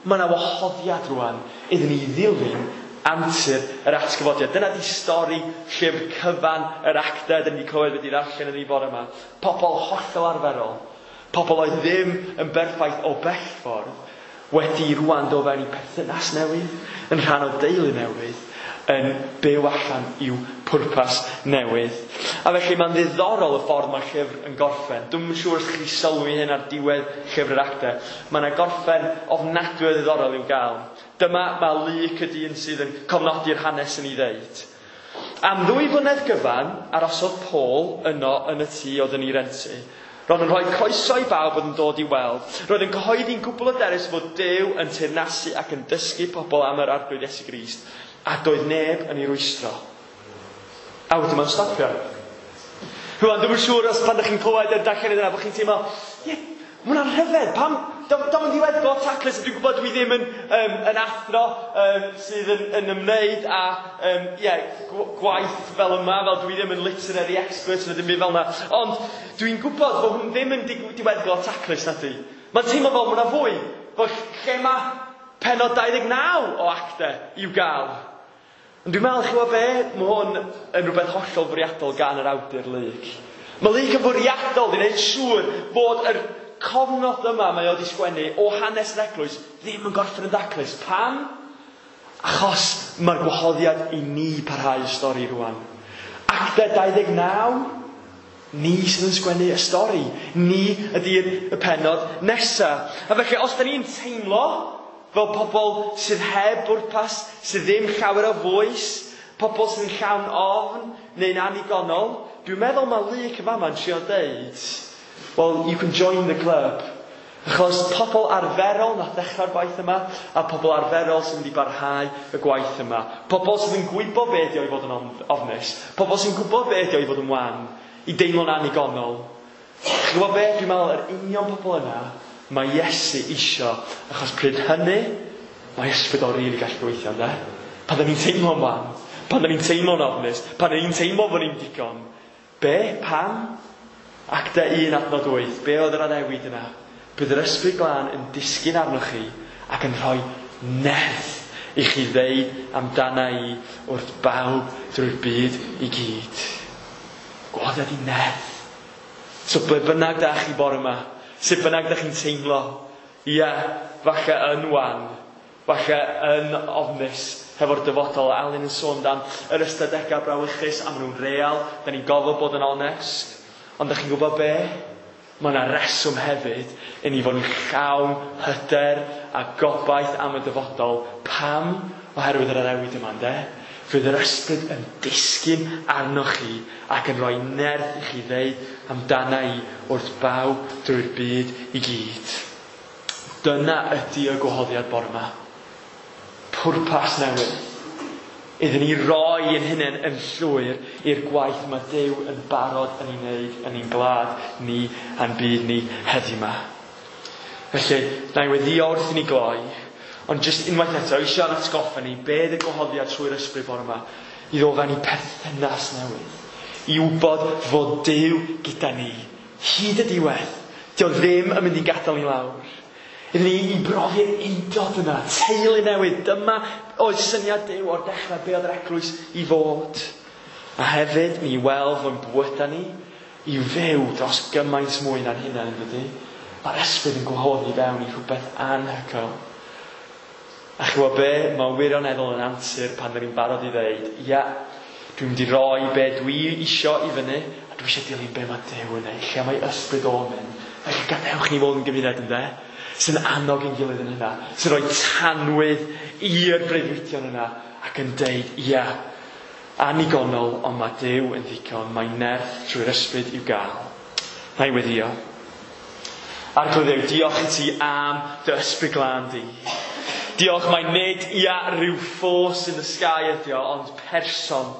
mae yna wahoddiad rwan iddyn ni ddilyn antur yr atgyfodiad. Dyna di stori llyfr cyfan yr actau dyn ni wedi clywed wedi ddarllen yn ei bore yma. Pobl hollol arferol, pobl oedd ddim yn berffaith o bell ffordd, wedi rwan dod fewn i perthynas newydd, yn rhan o deulu newydd, yn byw allan i'w pwrpas newydd. A felly mae'n ddiddorol y ffordd mae'r llyfr yn gorffen. Dwi'm yn siŵr os chi sylwi hyn ar diwedd llyfr yr actau. Mae yna gorffen ofnadwy o ddiddorol i'w gael. Dyma mae Luc y dyn sydd yn cofnodi'r hanes yn ei ddeud. Am 2 flynedd gyfan, arhosodd Paul yno yn y tŷ oedd yn ei rentu. Roedd yn rhoi croeso i bawb oedd yn dod i weld. Roedd yn cyhoeddi'n gwbl hyderus fod Duw yn teyrnasu ac yn dysgu pobl am yr Arglwydd Iesu Grist, a doedd neb yn ei rwystro. A wedyn mae'n stopio. Rwan, dwi'm yn siŵr os pan ydych chi'n clywed yr darllen yna, bod chi'n teimlo, ie, mae hwnna'n rhyfedd, pam, dom yn ddiweddglo taclus, dwi'n gwybod dwi ddim yn athro sydd yn ymwneud â gwaith fel yma, fel dwi ddim yn literary expert neu ddim byd fel yna, ond dwi'n gwybod bod hwn ddim yn diweddglo taclus, na di. Mae'n teimlo fel mae yna fwy, bod lle mae pennod 29 o actau i'w gael. Ond dwi'n meddwl, chi'n gwybod be? Mae hwn yn rhywbeth hollol fwriadol gan yr awdur Luc. Mae Luc yn fwriadol di wneud siŵr bod yr cofnod yma mae o wedi sgwennu o hanes yr eglwys ddim yn gorffen yn daclus. Pam? Achos mae'r gwahoddiad i ni parhau y stori rwan. Actau 29, ni sydd yn sgwennu y stori. Ni ydy'r y pennod nesa. A felly, os da ni'n teimlo fel pobl sydd heb bwrpas, sydd ddim llawer o fwys, pobl sydd yn llawn ofn neu'n annigonol, dwi'n meddwl mae Luc yn fama'n trio deud, well, you can join the club. Achos pobl arferol nath ddechrau'r gwaith yma, a pobl arferol sy'n mynd i barhau y gwaith yma. Pobl sydd yn gwybod be ydi o i fod yn ofnus. Pobl sy'n gwybod be ydi o i fod yn wan, i deimlo'n annigonol. Chi'n gwybod be? Dwi'n meddwl yr union pobl yna mae Iesu isio, achos pryd hynny, mae ysbryd o rili gallu gweithio, ynde? Pan da ni'n teimlo'n wan, pan da ni'n teimlo'n ofnus, pan da ni'n teimlo fod ni'n digon. Be? Pam? Actau 1 adnod 8. Be oedd yr addewid yna? Bydd yr ysbryd glân yn disgyn arnoch chi ac yn rhoi nerth i chi ddeud amdana i wrth bawb drwy'r byd i gyd. Gwahoddiad i nerth. So ble bynnag da chi bore yma, sut bynnag da chi'n teimlo, ia, falle yn wan, falle yn ofnus hefo'r dyfodol. Alun yn sôn dan yr ystadegau brawychus, a maen nhw'n real, da ni'n gofod bod yn onest. Ond da chi'n gwybod be? Mae yna reswm hefyd i ni fod yn llawn hyder a gobaith am y dyfodol. Pam? Oherwydd yr addewid yma, ynde? Fydd yr ysbryd yn disgyn arnoch chi ac yn rhoi nerth i chi ddeud amdana i wrth bawb drwy'r byd i gyd. Dyna ydy y gwahoddiad bore yma. Pwrpas newydd. Iddyn ni roi ein hunain yn llwyr i'r gwaith mae Duw yn barod yn ei wneud yn ein gwlad ni a'n byd ni heddiw yma. Felly, na i weddio wrth i ni gloi, ond jyst unwaith eto, eisiau atgoffa ni be y gwahoddiad trwy'r ysbryd bore yma, i ddod fewn i perthynas newydd, i wybod fod Duw gyda ni, hyd y diwedd. Dio ddim yn mynd i'n gadael ni lawr. Iddyn ni i brofi'r undod yna, teulu newydd. Dyma oedd syniad Duw o'r dechrau be oedd yr eglwys i fod. A hefyd, mi weld fo'n bwyda ni i fyw dros gymaint mwy na'n hunain, yn dydy? Mae'r ysbryd yn gwahodd ni fewn i rhywbeth anhygoel. A chi gwybod be? Mae wirioneddol yn antur pan dyn ni'n barod i ddeud, ia, dwi'n mynd i roi be dwi isio i fyny, a dwi eisiau dilyn be mae Duw yn neud, lle mae ysbryd o'n mynd. Felly gadewch ni fod yn gymuned, ynde? Sy'n annog ein gilydd yn hynna, sy'n rhoi tanwydd i'r breuddwydion yna ac yn deud, ia, annigonol, ond mae Duw yn ddigon, mae nerth trwy'r ysbryd i'w gael. Na i weddio. Arglwydd Dduw, diolch i ti am dy ysbryd glân di. Diolch mai nid ia rhyw force in the sky ydi o, ond person.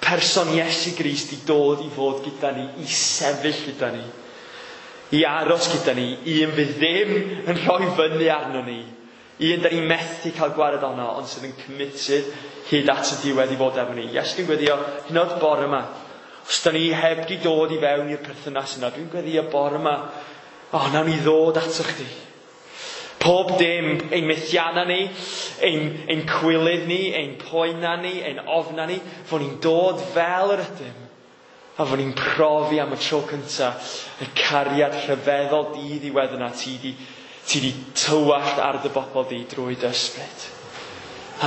Person Iesu Grist i dod i fod gyda ni, i sefyll gyda ni, i aros gyda ni, un fydd ddim yn rhoi fyny arno ni, un da ni methu cael gwared ono, ond sydd yn committed hyd at y diwedd i fod efo ni. Iesu, dwi'n gweddio hyd yn oed bore yma. Os da ni heb di dod i fewn i'r perthynas yna, dwi'n gweddio bore yma, o, nawn ni ddod ato chdi. Pob dim, ein methianna ni, ein cwilydd ni, ein poena ni, ein ofna ni, fod ni'n dod fel yr ydym. A fod ni'n profi am y tro cyntaf y cariad rhyfeddol di-ddiwedd yna ti di tywallt ar dy bobl di drwy dy ysbryd.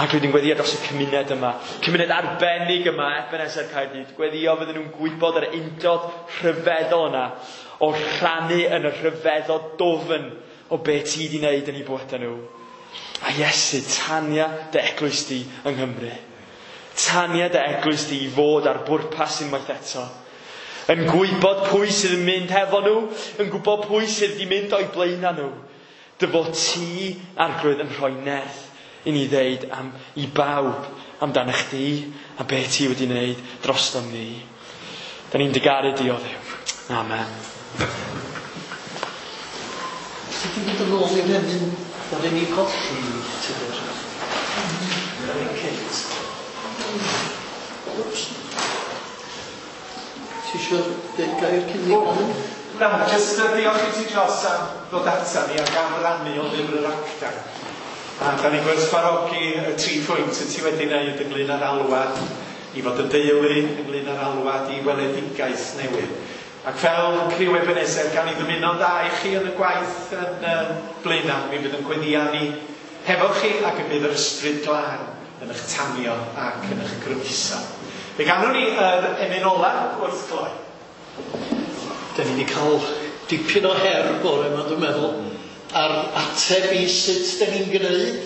Ac rydyn gweddio dros y cymuned yma, cymuned arbennig yma, Ebenezer Caerdydd, gweddio fydden nhw'n gwybod yr undod rhyfeddol yna o rhannu yn y rhyfeddod dofn o be ti di wneud yn eu bywydau nhw. A Iesu, tania dy eglwys di yng Nghymru. Tania dy eglwys di i fod ar bwrpas unwaith eto. Yn gwybod pwy sydd yn mynd hefo nhw, yn gwybod pwy sydd wedi mynd o'i blaenau nhw. Dy fod ti, Arglwydd, yn rhoi nerth i ni ddeud am, i bawb amdano chdi a be ti wedi wneud drostom ni. Da ni'n digaru di o Dduw. Amen.
Sut ti'n mynd yn ôl i'r emyn ddaru ni colli, Tudur? Yr un cynt. Wps. Ti isio deud gair cyn ni gofyn?
Na, jyst diolch i ti Jos am ddod ata ni ac am rannu o lyfr yr Actau. A da ni'n gwerthfawrogi y 3 pwynt y ti wedi wneud ynglyn â'r alwad i fod yn deulu, ynglyn â'r alwad i weledigaeth newydd. Ac fel criw Ebenezer, gawn ni ddymuno'n dda i chi yn y gwaith yn Blaenau. Mi fydd yn gweddïau ni hefo chi ac y bydd yr ysbryd glân yn eich tanio ac yn eich grymuso. Fe ganwn ni yr emyn ola wrth gloi.
Da ni wedi cael dipyn o her bore yma, dwi'n meddwl, ar ateb i sut da ni'n gwneud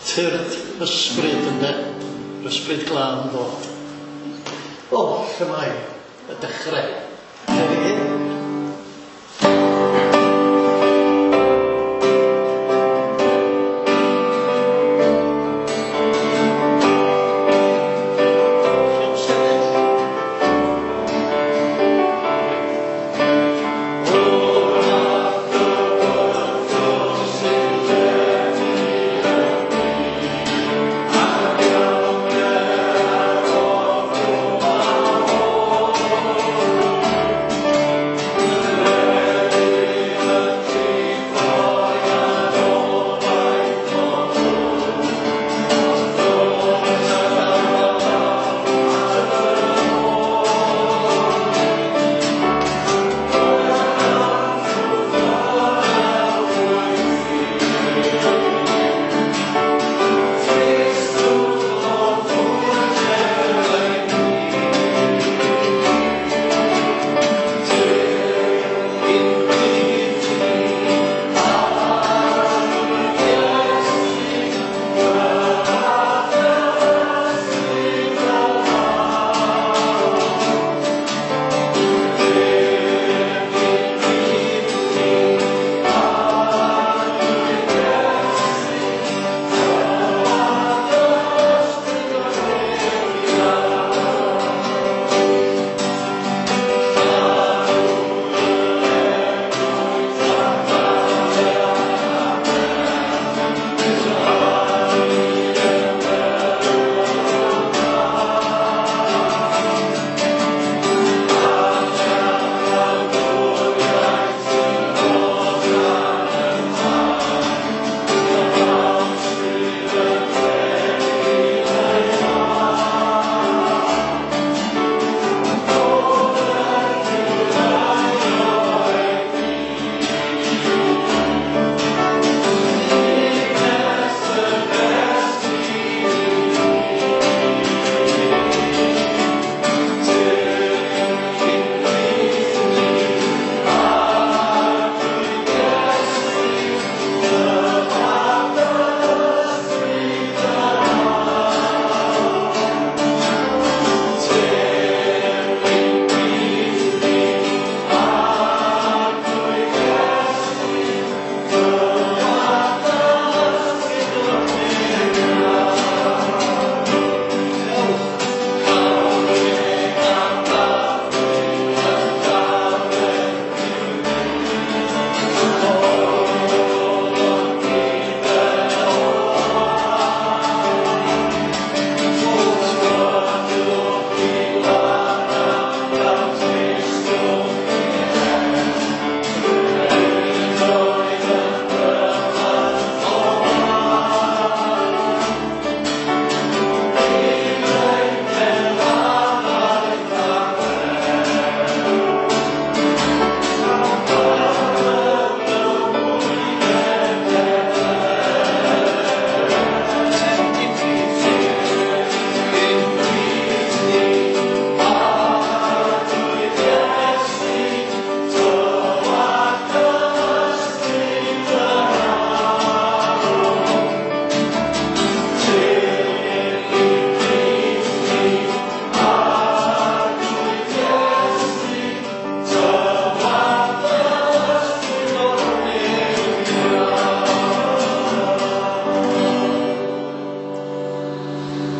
tyrd ysbryd, ynde? Yr ysbryd glân ddod. O, lle mae y dechrau? Lle ni hyn?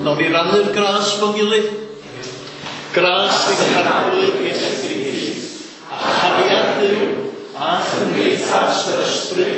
Nawn ni rannu'r gras mewn gilydd. Gras ein Harglwydd Iesu Grist, a chariad Duw, a chymdeithas yr Ysbryd